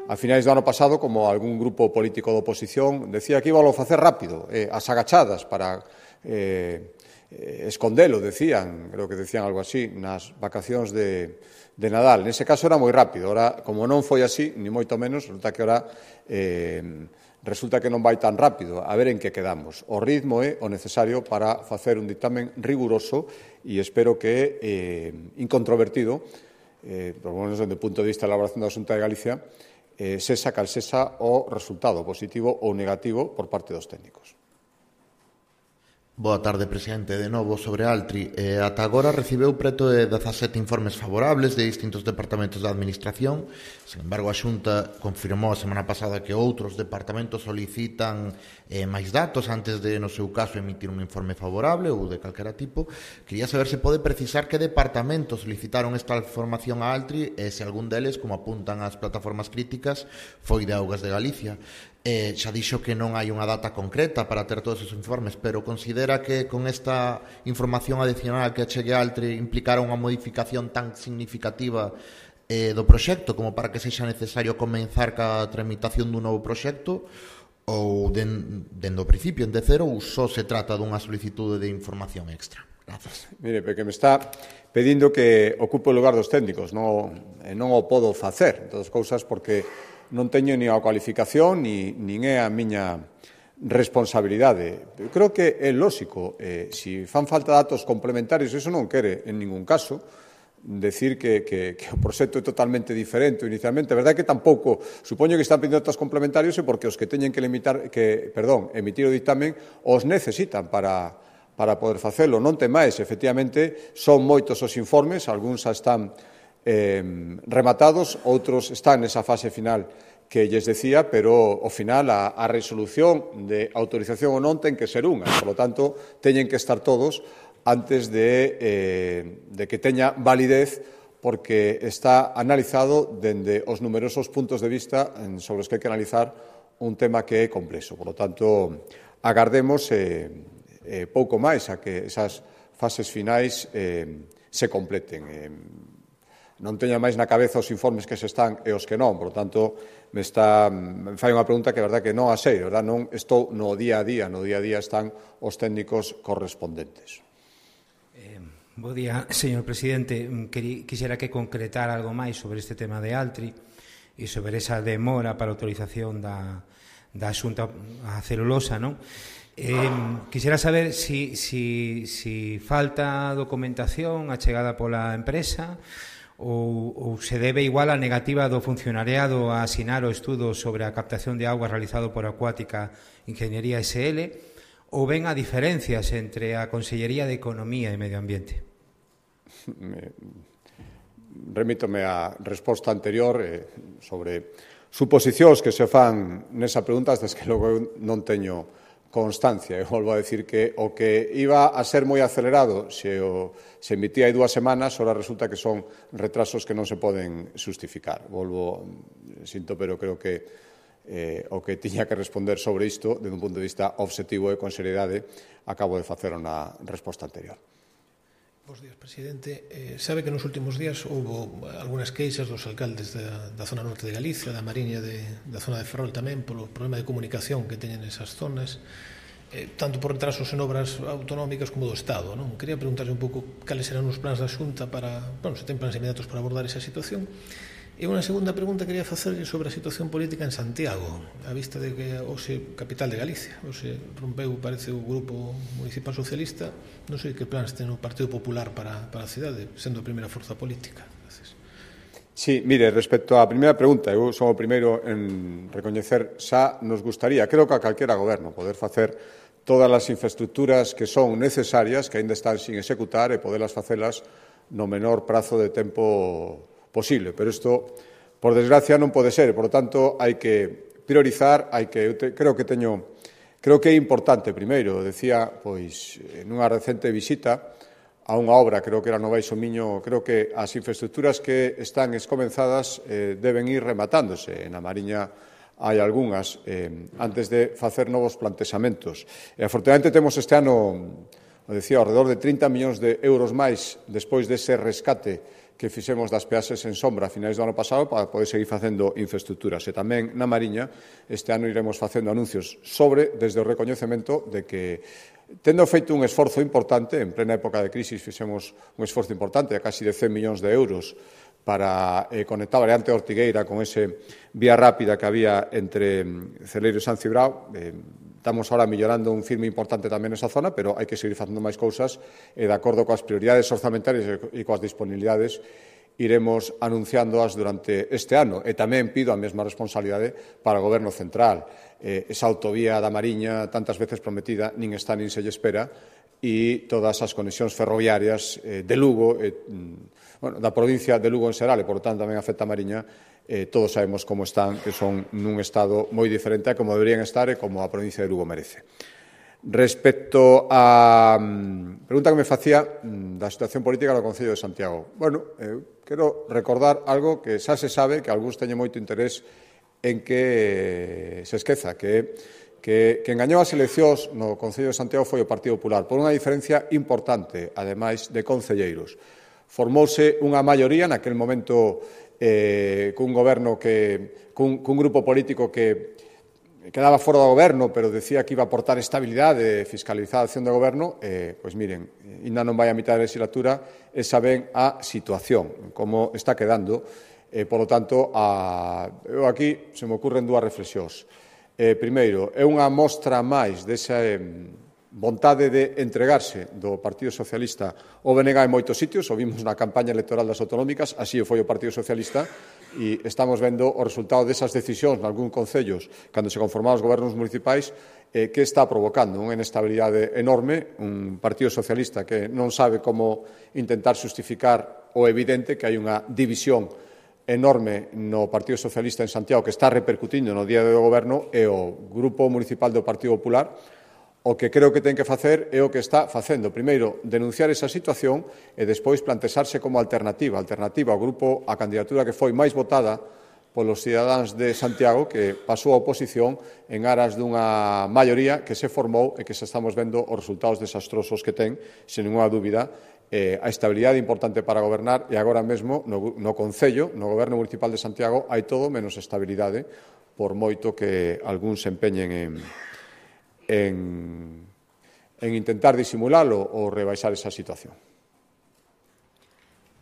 a finais do ano pasado, como algún grupo político de oposición decía que íbalo a facer rápido, eh, as agachadas para eh, eh, escondelo, decían, creo que decían algo así, nas vacacións de, de Nadal. Nese caso era moi rápido, ora, como non foi así, ni moito menos, resulta que ora eh, resulta que non vai tan rápido. A ver en que quedamos. O ritmo é o necesario para facer un dictamen riguroso e espero que eh, incontrovertido, eh, por lo menos desde o punto de vista da elaboración da Xunta de Galicia, eh, sexa cal sexa o resultado positivo ou negativo por parte dos técnicos. Boa tarde, presidente. De novo, sobre Altri. Eh, ata agora recibeu preto de dezasete informes favorables de distintos departamentos da Administración. Sin embargo, a Xunta confirmou a semana pasada que outros departamentos solicitan eh, máis datos antes de, no seu caso, emitir un informe favorable ou de calquera tipo. Quería saber se pode precisar que departamentos solicitaron esta información a Altri e se algún deles, como apuntan as plataformas críticas, foi de Augas de Galicia. Eh, xa dixo que non hai unha data concreta para ter todos os informes, pero considera que con esta información adicional que achegue Altri implicará unha modificación tan significativa eh, do proxecto como para que sexa necesario comenzar ca tramitación dun novo proxecto ou den, dende o principio en de cero ou só se trata dunha solicitude de información extra? Grazas. Mire, porque me está pedindo que ocupe o lugar dos técnicos, non, non o podo facer, todas cousas, porque non teño ni a cualificación ni, nin é a miña responsabilidade. Eu creo que é lóxico, eh, se fan falta datos complementarios, eso non quere en ningún caso decir que, que, que o proxecto é totalmente diferente inicialmente. A verdade é que tampouco, supoño que están pedindo datos complementarios e porque os que teñen que, limitar, que perdón, emitir o dictamen os necesitan para, para poder facelo. Non temáis, efectivamente, son moitos os informes, algúns xa están Eh, rematados, outros están nesa fase final que lles decía, pero ao final a, a resolución de autorización ou non ten que ser unha, por lo tanto teñen que estar todos antes de, eh, de que teña validez, porque está analizado dende os numerosos puntos de vista sobre os que hai que analizar un tema que é complexo. Por lo tanto, agardemos eh, eh, pouco máis a que esas fases finais eh, se completen. Eh, non teño máis na cabeza os informes que se están e os que non, por tanto, me está me fai unha pregunta que, verdad, que non a sei, verdad, non estou no día a día, no día a día están os técnicos correspondentes. Eh, bo día, señor presidente. Quixera que concretar algo máis sobre este tema de Altri e sobre esa demora para a autorización da, da Xunta a celulosa, non? Eh, quixera saber si, si, si falta documentación achegada pola empresa ou, ou se debe igual a negativa do funcionariado a asinar o estudo sobre a captación de augas realizado por Acuática Ingeniería S L, ou ven a diferencias entre a Consellería de Economía e Medio Ambiente? Remítome á resposta anterior eh, sobre suposicións que se fan nesa pregunta, desde que logo non teño constancia. Eu volvo a decir que o que iba a ser moi acelerado se o se emitía hai dúas semanas, ahora resulta que son retrasos que non se poden justificar. Volvo, sinto, pero creo que eh, o que tiña que responder sobre isto, desde un punto de vista objetivo e con seriedade, acabo de facer unha resposta anterior. Bos días, presidente. Eh, sabe que nos últimos días houve algunhas queixas dos alcaldes da, da zona norte de Galicia, da Mariña, de, da zona de Ferrol tamén, polo problema de comunicación que teñen esas zonas, eh, tanto por retrasos en obras autonómicas como do Estado, non? Quería preguntarle un pouco cales serán os plans da Xunta para, bueno, se ten plans inmediatos para abordar esa situación. E unha segunda pregunta quería facerlle sobre a situación política en Santiago, a vista de que hoxe capital de Galicia, hoxe rompeu, parece, o grupo municipal socialista. Non sei que plans ten o Partido Popular para, para a cidade, sendo a primeira forza política. Gracias. Sí, mire, respecto á primeira pregunta, eu son o primeiro en recoñecer, xa nos gustaría, creo que a calquera goberno, poder facer todas as infraestructuras que son necesarias, que aínda están sin executar, e podelas facelas no menor prazo de tempo posible, pero isto, por desgracia, non pode ser. Por lo tanto, hai que priorizar, hai que, eu te, creo que teño, creo que é importante, primeiro, decía, pois, nunha recente visita a unha obra, creo que era no Baixo Miño, creo que as infraestructuras que están escomenzadas eh, deben ir rematándose. Na Mariña hai algunhas, eh, antes de facer novos plantexamentos. E, afortunadamente, temos este ano, o decía, alrededor de trinta millóns de euros máis despois dese rescate que fixemos das peaxes en sombra a finais do ano pasado para poder seguir facendo infraestructuras. E tamén na Mariña este ano iremos facendo anuncios sobre, desde o recoñecemento de que Tendo feito un esforzo importante, en plena época de crisis fixemos un esforzo importante, de casi de cen millóns de euros, para eh, conectar a variante Ortigueira con ese vía rápida que había entre Celeiro e San Cibrao. Eh, estamos ahora mellorando un firme importante tamén nesa zona, pero hai que seguir facendo máis cousas e, de acordo coas prioridades orzamentarias e coas disponibilidades, iremos anunciándoas durante este ano. E tamén pido a mesma responsabilidade para o Goberno central. Eh, esa autovía da Mariña, tantas veces prometida, nin está nin se lle espera, e todas as conexións ferroviarias eh, de Lugo, eh, bueno, da provincia de Lugo en xeral, e, por tanto, tamén afecta a Mariña, eh, todos sabemos como están, que son nun estado moi diferente a como deberían estar e como a provincia de Lugo merece. Respecto á um, pregunta que me facía um, da situación política do Concello de Santiago, bueno, eh, quero recordar algo que xa se sabe, que algúns teñen moito interés en que se esqueza, que, que, que engañou as eleccións no Concello de Santiago foi o Partido Popular, por unha diferencia importante, ademais de concelleiros. Formouse unha maioría naquel momento eh, cun goberno que, cun, cun grupo político que quedaba fora do goberno, pero decía que iba a aportar estabilidade e fiscalizar a acción do goberno. Eh, pois miren, ainda non vai a mitad da legislatura e saben a situación, como está quedando. Eh, por lo tanto, a, eu aquí se me ocurren dúas reflexións. Eh, primeiro, é unha mostra máis desa eh, vontade de entregarse do Partido Socialista o B N G en moitos sitios, o vimos na campaña electoral das autonómicas, así foi o Partido Socialista, e estamos vendo o resultado desas decisións nalgún concellos, cando se conformaban os gobernos municipais, eh, que está provocando unha inestabilidade enorme, un Partido Socialista que non sabe como intentar justificar o evidente que hai unha división enorme no Partido Socialista en Santiago que está repercutindo no día do goberno, e o Grupo Municipal do Partido Popular o que creo que ten que facer é o que está facendo. Primeiro, denunciar esa situación e despois plantexarse como alternativa, alternativa ao grupo, a candidatura que foi máis votada polos cidadáns de Santiago, que pasou a oposición en aras dunha maioría que se formou e que se estamos vendo os resultados desastrosos que ten, sen ninguna dúbida, eh, a estabilidade importante para gobernar, e agora mesmo no, no Concello, no Goberno Municipal de Santiago, hai todo menos estabilidade, por moito que algúns se empeñen en En, en intentar disimulalo ou rebaixar esa situación.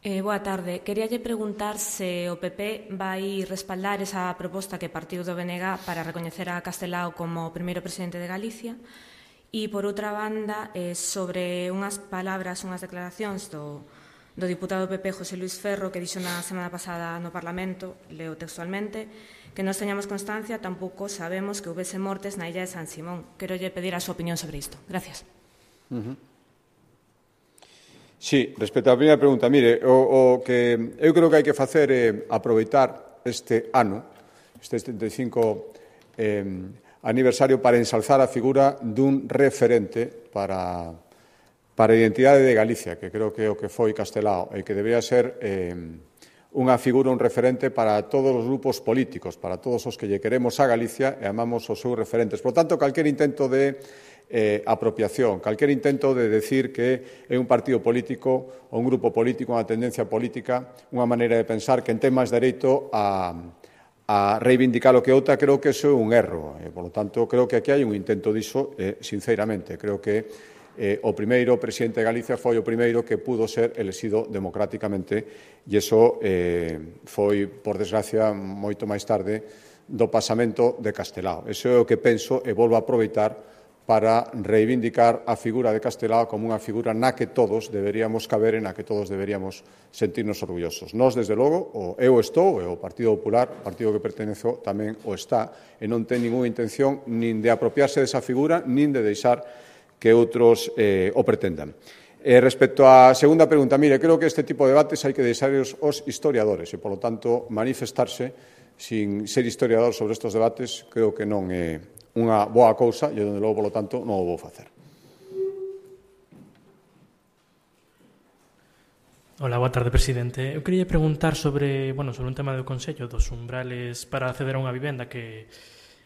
Eh, boa tarde. Queríalle preguntar se o P P vai respaldar esa proposta que partiu do B N G para recoñecer a Castelao como primeiro presidente de Galicia. E, por outra banda, eh, sobre unhas palabras, unhas declaracións do, do diputado P P José Luis Ferro, que dixo na semana pasada no Parlamento, leo textualmente, que nos teñamos constancia, tampouco sabemos que houvese mortes na illa de San Simón. Quero lle pedir a súa opinión sobre isto. Gracias. Uh-huh. Sí, respecto á primeira pregunta, mire, o, o que eu creo que hai que facer é aproveitar este ano, este setenta e cinco eh, aniversario, para ensalzar a figura dun referente para, para a identidade de Galicia, que creo que é o que foi Castelao, e que debería ser eh, unha figura, un referente para todos os grupos políticos, para todos os que lle queremos a Galicia e amamos os seus referentes. Por tanto, calquer intento de eh, apropiación, calquer intento de decir que é un partido político ou un grupo político, unha tendencia política, unha maneira de pensar que ten máis dereito a, a reivindicar o que outra, creo que iso é un erro. E, por lo tanto, creo que aquí hai un intento diso, eh, sinceramente. Creo que Eh, o primeiro presidente de Galicia foi o primeiro que pudo ser elexido democráticamente, e iso eh, foi, por desgracia, moito máis tarde do pasamento de Castelao. Iso é o que penso e volvo a aproveitar para reivindicar a figura de Castelao como unha figura na que todos deberíamos caber e na que todos deberíamos sentirnos orgullosos. Nós, desde logo, o eu estou, e o Partido Popular, o partido que pertenezo, tamén o está, e non ten ninguna intención nin de apropiarse desa figura, nin de deixar que outros eh, o pretendan. Eh, respecto á segunda pregunta, mire, creo que este tipo de debates hai que deixarlos os historiadores e, polo tanto, manifestarse sin ser historiador sobre estes debates creo que non é unha boa cousa e, onde logo, polo tanto, non o vou facer. Hola, boa tarde, presidente. Eu queria preguntar sobre, bueno, sobre un tema do Consello dos umbrales para acceder a unha vivenda que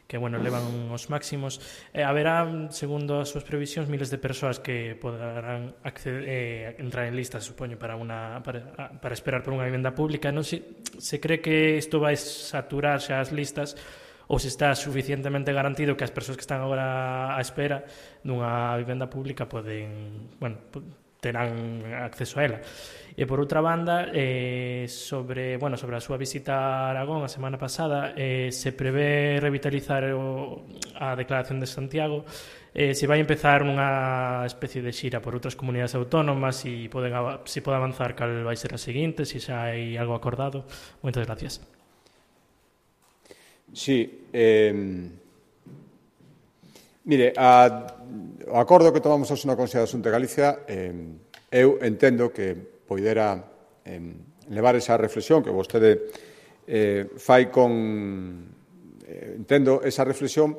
que, bueno, levan os máximos. Eh, haberá, segundo as súas previsións, miles de persoas que poderán acceder, eh, entrar en lista, supoño, para, una, para, para esperar por unha vivenda pública. Non se, se cree que isto vai saturar xa as listas ou se está suficientemente garantido que as persoas que están agora á espera dunha vivenda pública poden, bueno, terán acceso a ela. E por outra banda, eh, sobre, bueno, sobre a súa visita a Aragón a semana pasada, eh, se prevé revitalizar o, a Declaración de Santiago, eh, se vai empezar unha especie de xira por outras comunidades autónomas, e poden, se pode avanzar cal vai ser a seguinte, se xa hai algo acordado. Moitas gracias. Sí, eh, mire, a, o acordo que tomamos hoxe na Consellería de Asunto de Galicia, eh, eu entendo que poidera eh, levar esa reflexión que vostede eh, fai con... Eh, entendo esa reflexión,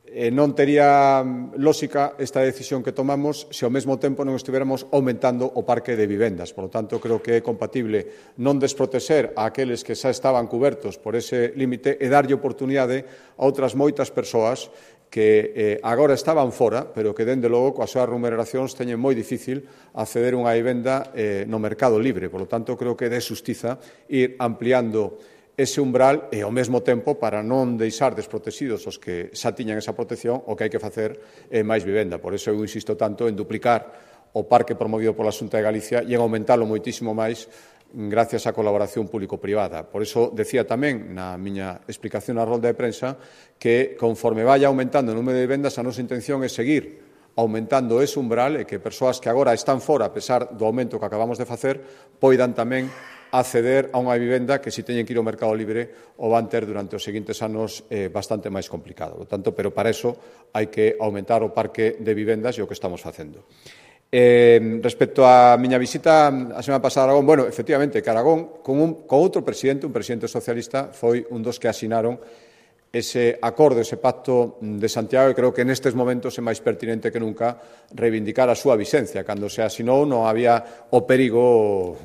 eh, non tería lógica esta decisión que tomamos se ao mesmo tempo non estiveramos aumentando o parque de vivendas. Por lo tanto, creo que é compatible non desprotexer a aqueles que xa estaban cubertos por ese límite e darlle oportunidade a outras moitas persoas que eh, agora estaban fora, pero que, dende logo, coas súas remuneracións teñen moi difícil acceder a unha vivenda eh, no mercado libre. Por lo tanto, creo que é de xustiza ir ampliando ese umbral e, ao mesmo tempo, para non deixar desprotegidos os que xa tiñan esa protección, o que hai que facer é máis vivenda. Por iso eu insisto tanto en duplicar o parque promovido pola Xunta de Galicia e en aumentalo moitísimo máis gracias á colaboración público-privada. Por iso decía tamén na miña explicación na rolda de prensa que conforme vaya aumentando o número de vivendas, a nosa intención é seguir aumentando ese umbral e que persoas que agora están fora, a pesar do aumento que acabamos de facer, poidan tamén acceder a unha vivenda que, se teñen que ir ao mercado libre, o van ter durante os seguintes anos eh, bastante máis complicado. Por tanto, pero para iso hai que aumentar o parque de vivendas e o que estamos facendo. Eh, respecto á miña visita a semana pasada a Aragón, bueno, efectivamente, que Aragón, con, un, con outro presidente, un presidente socialista, foi un dos que asinaron ese acordo, ese pacto de Santiago, e creo que nestes momentos é máis pertinente que nunca reivindicar a súa vixencia. Cando se asinou non había o perigo,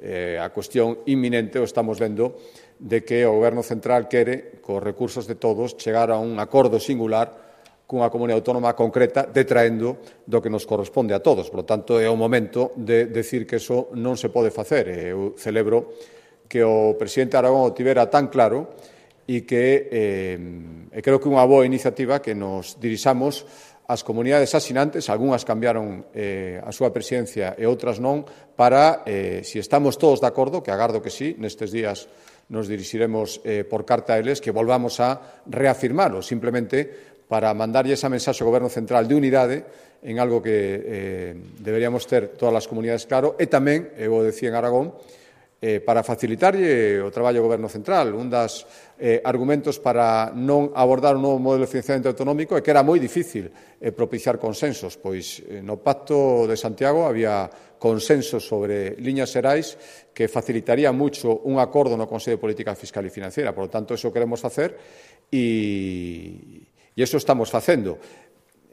eh, a cuestión inminente, o estamos vendo, de que o Goberno central quere, cos recursos de todos, chegar a un acordo singular cunha comunidade autónoma concreta, detraendo do que nos corresponde a todos. Por lo tanto, é o momento de decir que eso non se pode facer. Eu celebro que o presidente Aragón o tivera tan claro e que eh, creo que é unha boa iniciativa que nos dirixamos ás comunidades asinantes, algunhas cambiaron eh, a súa presidencia e outras non, para, eh, se estamos todos de acordo, que agardo que sí, nestes días nos dirixiremos eh, por carta a eles, que volvamos a reafirmalo, simplemente para mandarlle esa mensaxe ao Goberno central de unidade en algo que eh, deberíamos ter todas as comunidades claro, e tamén, eu o decía en Aragón, eh, para facilitarlle o traballo ao Goberno central. Un dos eh, argumentos para non abordar un novo modelo de financiamento autonómico é que era moi difícil eh, propiciar consensos, pois eh, no Pacto de Santiago había consensos sobre liñas xerais que facilitaría mucho un acordo no Consello de Política Fiscal e Financiera. Por lo tanto, eso queremos facer e... E iso estamos facendo.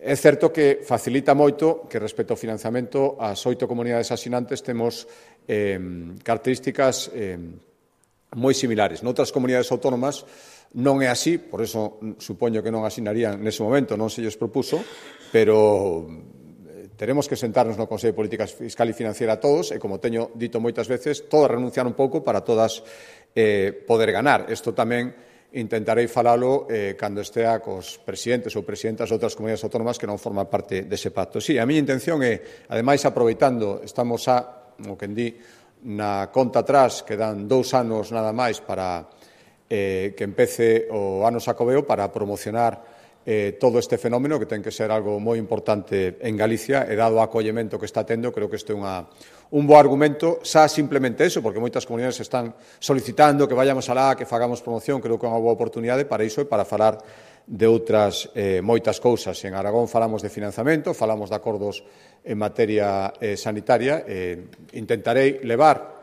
É certo que facilita moito que, respecto ao financiamento, as oito comunidades asinantes temos eh, características eh, moi similares. Noutras comunidades autónomas non é así, por iso supoño que non asinarían nese momento, non se lles propuso, pero teremos que sentarnos no Consello de Política Fiscal e Financiera todos, e, como teño dito moitas veces, todos renunciar un pouco para todas eh, poder ganar. Isto tamén intentarei falalo eh, cando estea cos presidentes ou presidentas de outras comunidades autónomas que non forman parte dese pacto. Sí, a miña intención é, ademais, aproveitando, estamos a, como quen di, na conta atrás, que dan dous anos nada máis para eh, que empece o ano Xacobeo, para promocionar eh, todo este fenómeno, que ten que ser algo moi importante en Galicia, e dado o acollemento que está tendo, creo que este é unha un bo argumento, xa simplemente eso, porque moitas comunidades están solicitando que vayamos alá, que fagamos promoción, creo que é unha boa oportunidade para iso e para falar de outras eh, moitas cousas. En Aragón falamos de financiamento, falamos de acordos en materia eh, sanitaria, eh, intentarei levar,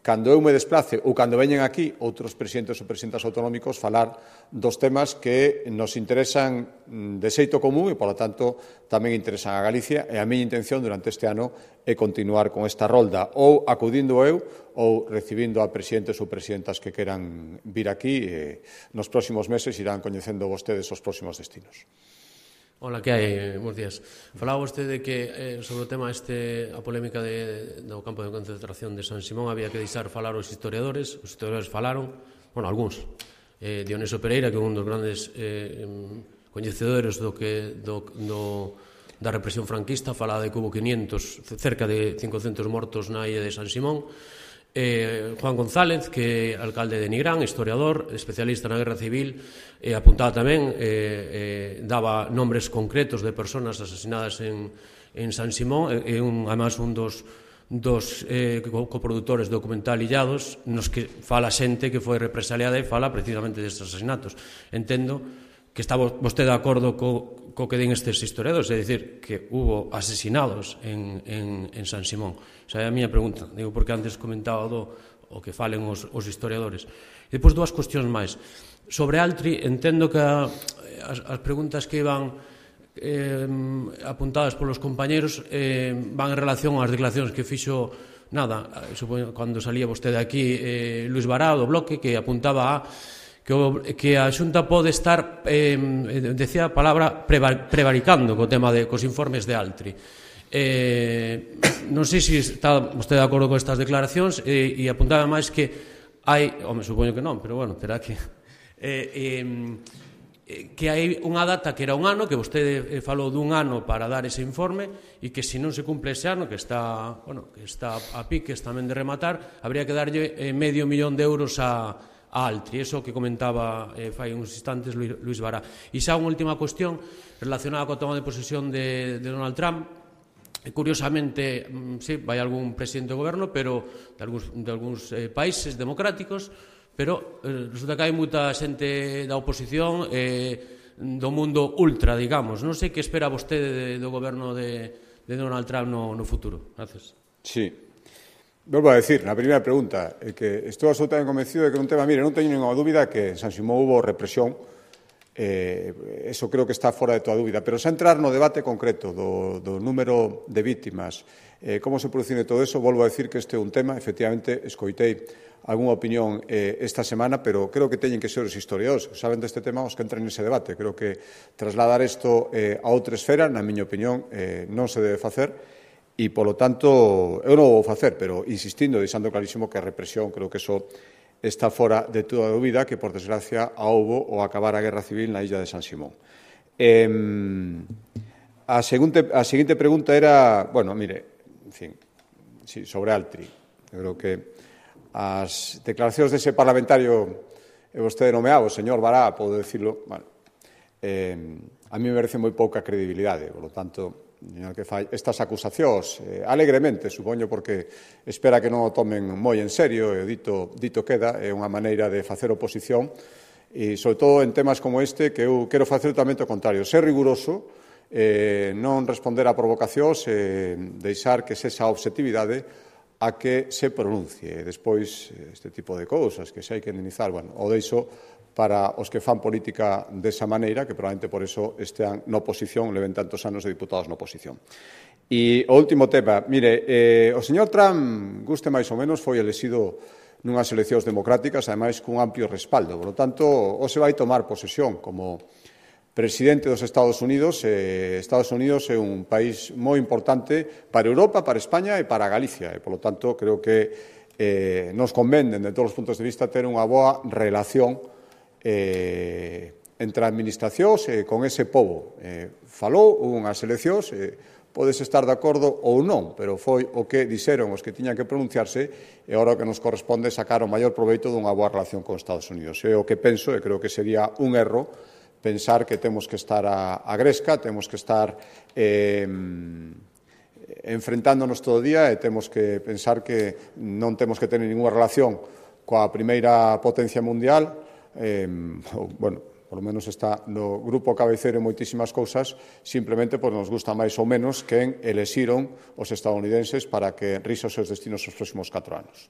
cando eu me desplace ou cando veñen aquí outros presidentes ou presidentas autonómicos, falar dos temas que nos interesan de xeito común e, polo tanto, tamén interesan a Galicia, e a miña intención durante este ano é continuar con esta rolda, ou acudindo eu ou recibindo a presidentes ou presidentas que queran vir aquí, e nos próximos meses irán coñecendo vostedes os próximos destinos. Hola, que hai? Bos días. Falaba vostede que eh, sobre o tema este, a polémica de, do campo de concentración de San Simón, había que deixar falar os historiadores, os historiadores falaron, bueno, algúns, eh, Dionisio Pereira, que é un dos grandes eh, coñecedores do que do, do, da represión franquista, fala de que hubo quinientos, cerca de cincocentos mortos na illa de San Simón. Eh, Juan González, que é alcalde de Nigrán, historiador, especialista na guerra civil, eh, apuntaba tamén, eh, eh, daba nombres concretos de personas asasinadas en, en San Simón, e eh, un, además un dos dos eh, coprodutores do documental Illados, nos que fala xente que foi represaliada e fala precisamente destes asesinatos. Entendo que está vostede de acordo co, co que den estes historiadores, é dicir, que hubo asesinados en, en, en San Simón. Esa é a miña pregunta, digo, porque antes comentaba do o que falen os, os historiadores. E depois dúas cuestións máis. Sobre Altri, entendo que a, as, as preguntas que iban Eh, apuntadas polos compañeros eh, van en relación ás declaracións que fixo nada, supoño, cando salía vostede aquí eh, Luis Bará do Bloque, que apuntaba a que, o, que a Xunta pode estar eh, decía a palabra prevaricando co tema de cos informes de Altri. Eh, non sei se está vostede de acordo con estas declaracións, eh, e apuntaba máis que hai, home, supoño que non, pero bueno, terá que eh, eh, que hai unha data que era un ano, que vostede falou dun ano para dar ese informe, e que se non se cumple ese ano, que está, bueno, que está a piques tamén de rematar, habría que darlle eh, medio millón de euros a, a Altri, eso que comentaba eh, fai uns instantes Luis, Luis Bará. E xa unha última cuestión relacionada coa toma de posesión de, de Donald Trump. E, curiosamente, sí, vai algún presidente do goberno, pero de algúns, de algúns eh, países democráticos, pero eh, resulta que hai moita xente da oposición eh, do mundo ultra, digamos. Non sei que espera vostede de, do goberno de, de Donald Trump no, no futuro. Gracias. Sí. Volvo a decir, na primeira pregunta, é que estou absolutamente convencido de que non tema, mire, non teño ninguna dúbida que en San Simón hubo represión, eh, eso creo que está fora de toda dúbida, pero xa entrar no debate concreto do, do número de víctimas, eh, como se produciu todo eso, volvo a decir que este é un tema, efectivamente, escoitei algunha opinión eh, esta semana, pero creo que teñen que ser os historiadores que saben deste tema os que entren nese debate. Creo que trasladar isto eh, a outra esfera, na miña opinión, eh, non se debe facer e, polo tanto, eu non o vou facer, pero insistindo, deixando clarísimo que a represión, creo que eso está fora de toda dúbida, que, por desgracia, a houbo o acabar a guerra civil na illa de San Simón. Eh, a, seguinte, a seguinte pregunta era, bueno, mire, en fin, sí, sobre Altri. Eu creo que as declaracións dese parlamentario e vostede nomeado, o señor Bará, podo dicirlo, bueno, eh, a mí me merece moi pouca credibilidade, por lo tanto, que fai estas acusacións, eh, alegremente, supoño, porque espera que non o tomen moi en serio, e dito, dito queda, é unha maneira de facer oposición, e, sobre todo, en temas como este, que eu quero facer totalmente o contrario, ser riguroso, eh, non responder a provocacións, eh, deixar que esa objetividade a que se pronuncie. Despois, este tipo de cousas que se hai que indemnizar, bueno, o deixo para os que fan política desa maneira, que probablemente por eso estean na oposición, leven tantos anos de diputados na oposición. E o último tema, mire, eh, o señor Trump, guste máis ou menos, foi elexido nunhas eleccións democráticas, ademais cun amplio respaldo. Por lo tanto, o se vai tomar posesión como presidente dos Estados Unidos. eh, Estados Unidos é un país moi importante para Europa, para España e para Galicia, e, polo tanto, creo que eh, nos convén, de todos os puntos de vista, ter unha boa relación eh, entre administracións e con ese pobo. Eh, falou unhas eleccións, eh, podes estar de acordo ou non, pero foi o que dixeron os que tiñan que pronunciarse, e agora o que nos corresponde sacar o maior proveito dunha boa relación con Estados Unidos. É o que penso, e creo que sería un erro pensar que temos que estar a, a gresca, temos que estar eh, enfrentándonos todo o día, e temos que pensar que non temos que tener ninguna relación coa primeira potencia mundial, eh, ou, bueno, por lo menos está no grupo cabeceiro en moitísimas cousas, simplemente pois nos gusta máis ou menos quen elexiron os estadounidenses para que risa os seus destinos os próximos catro anos.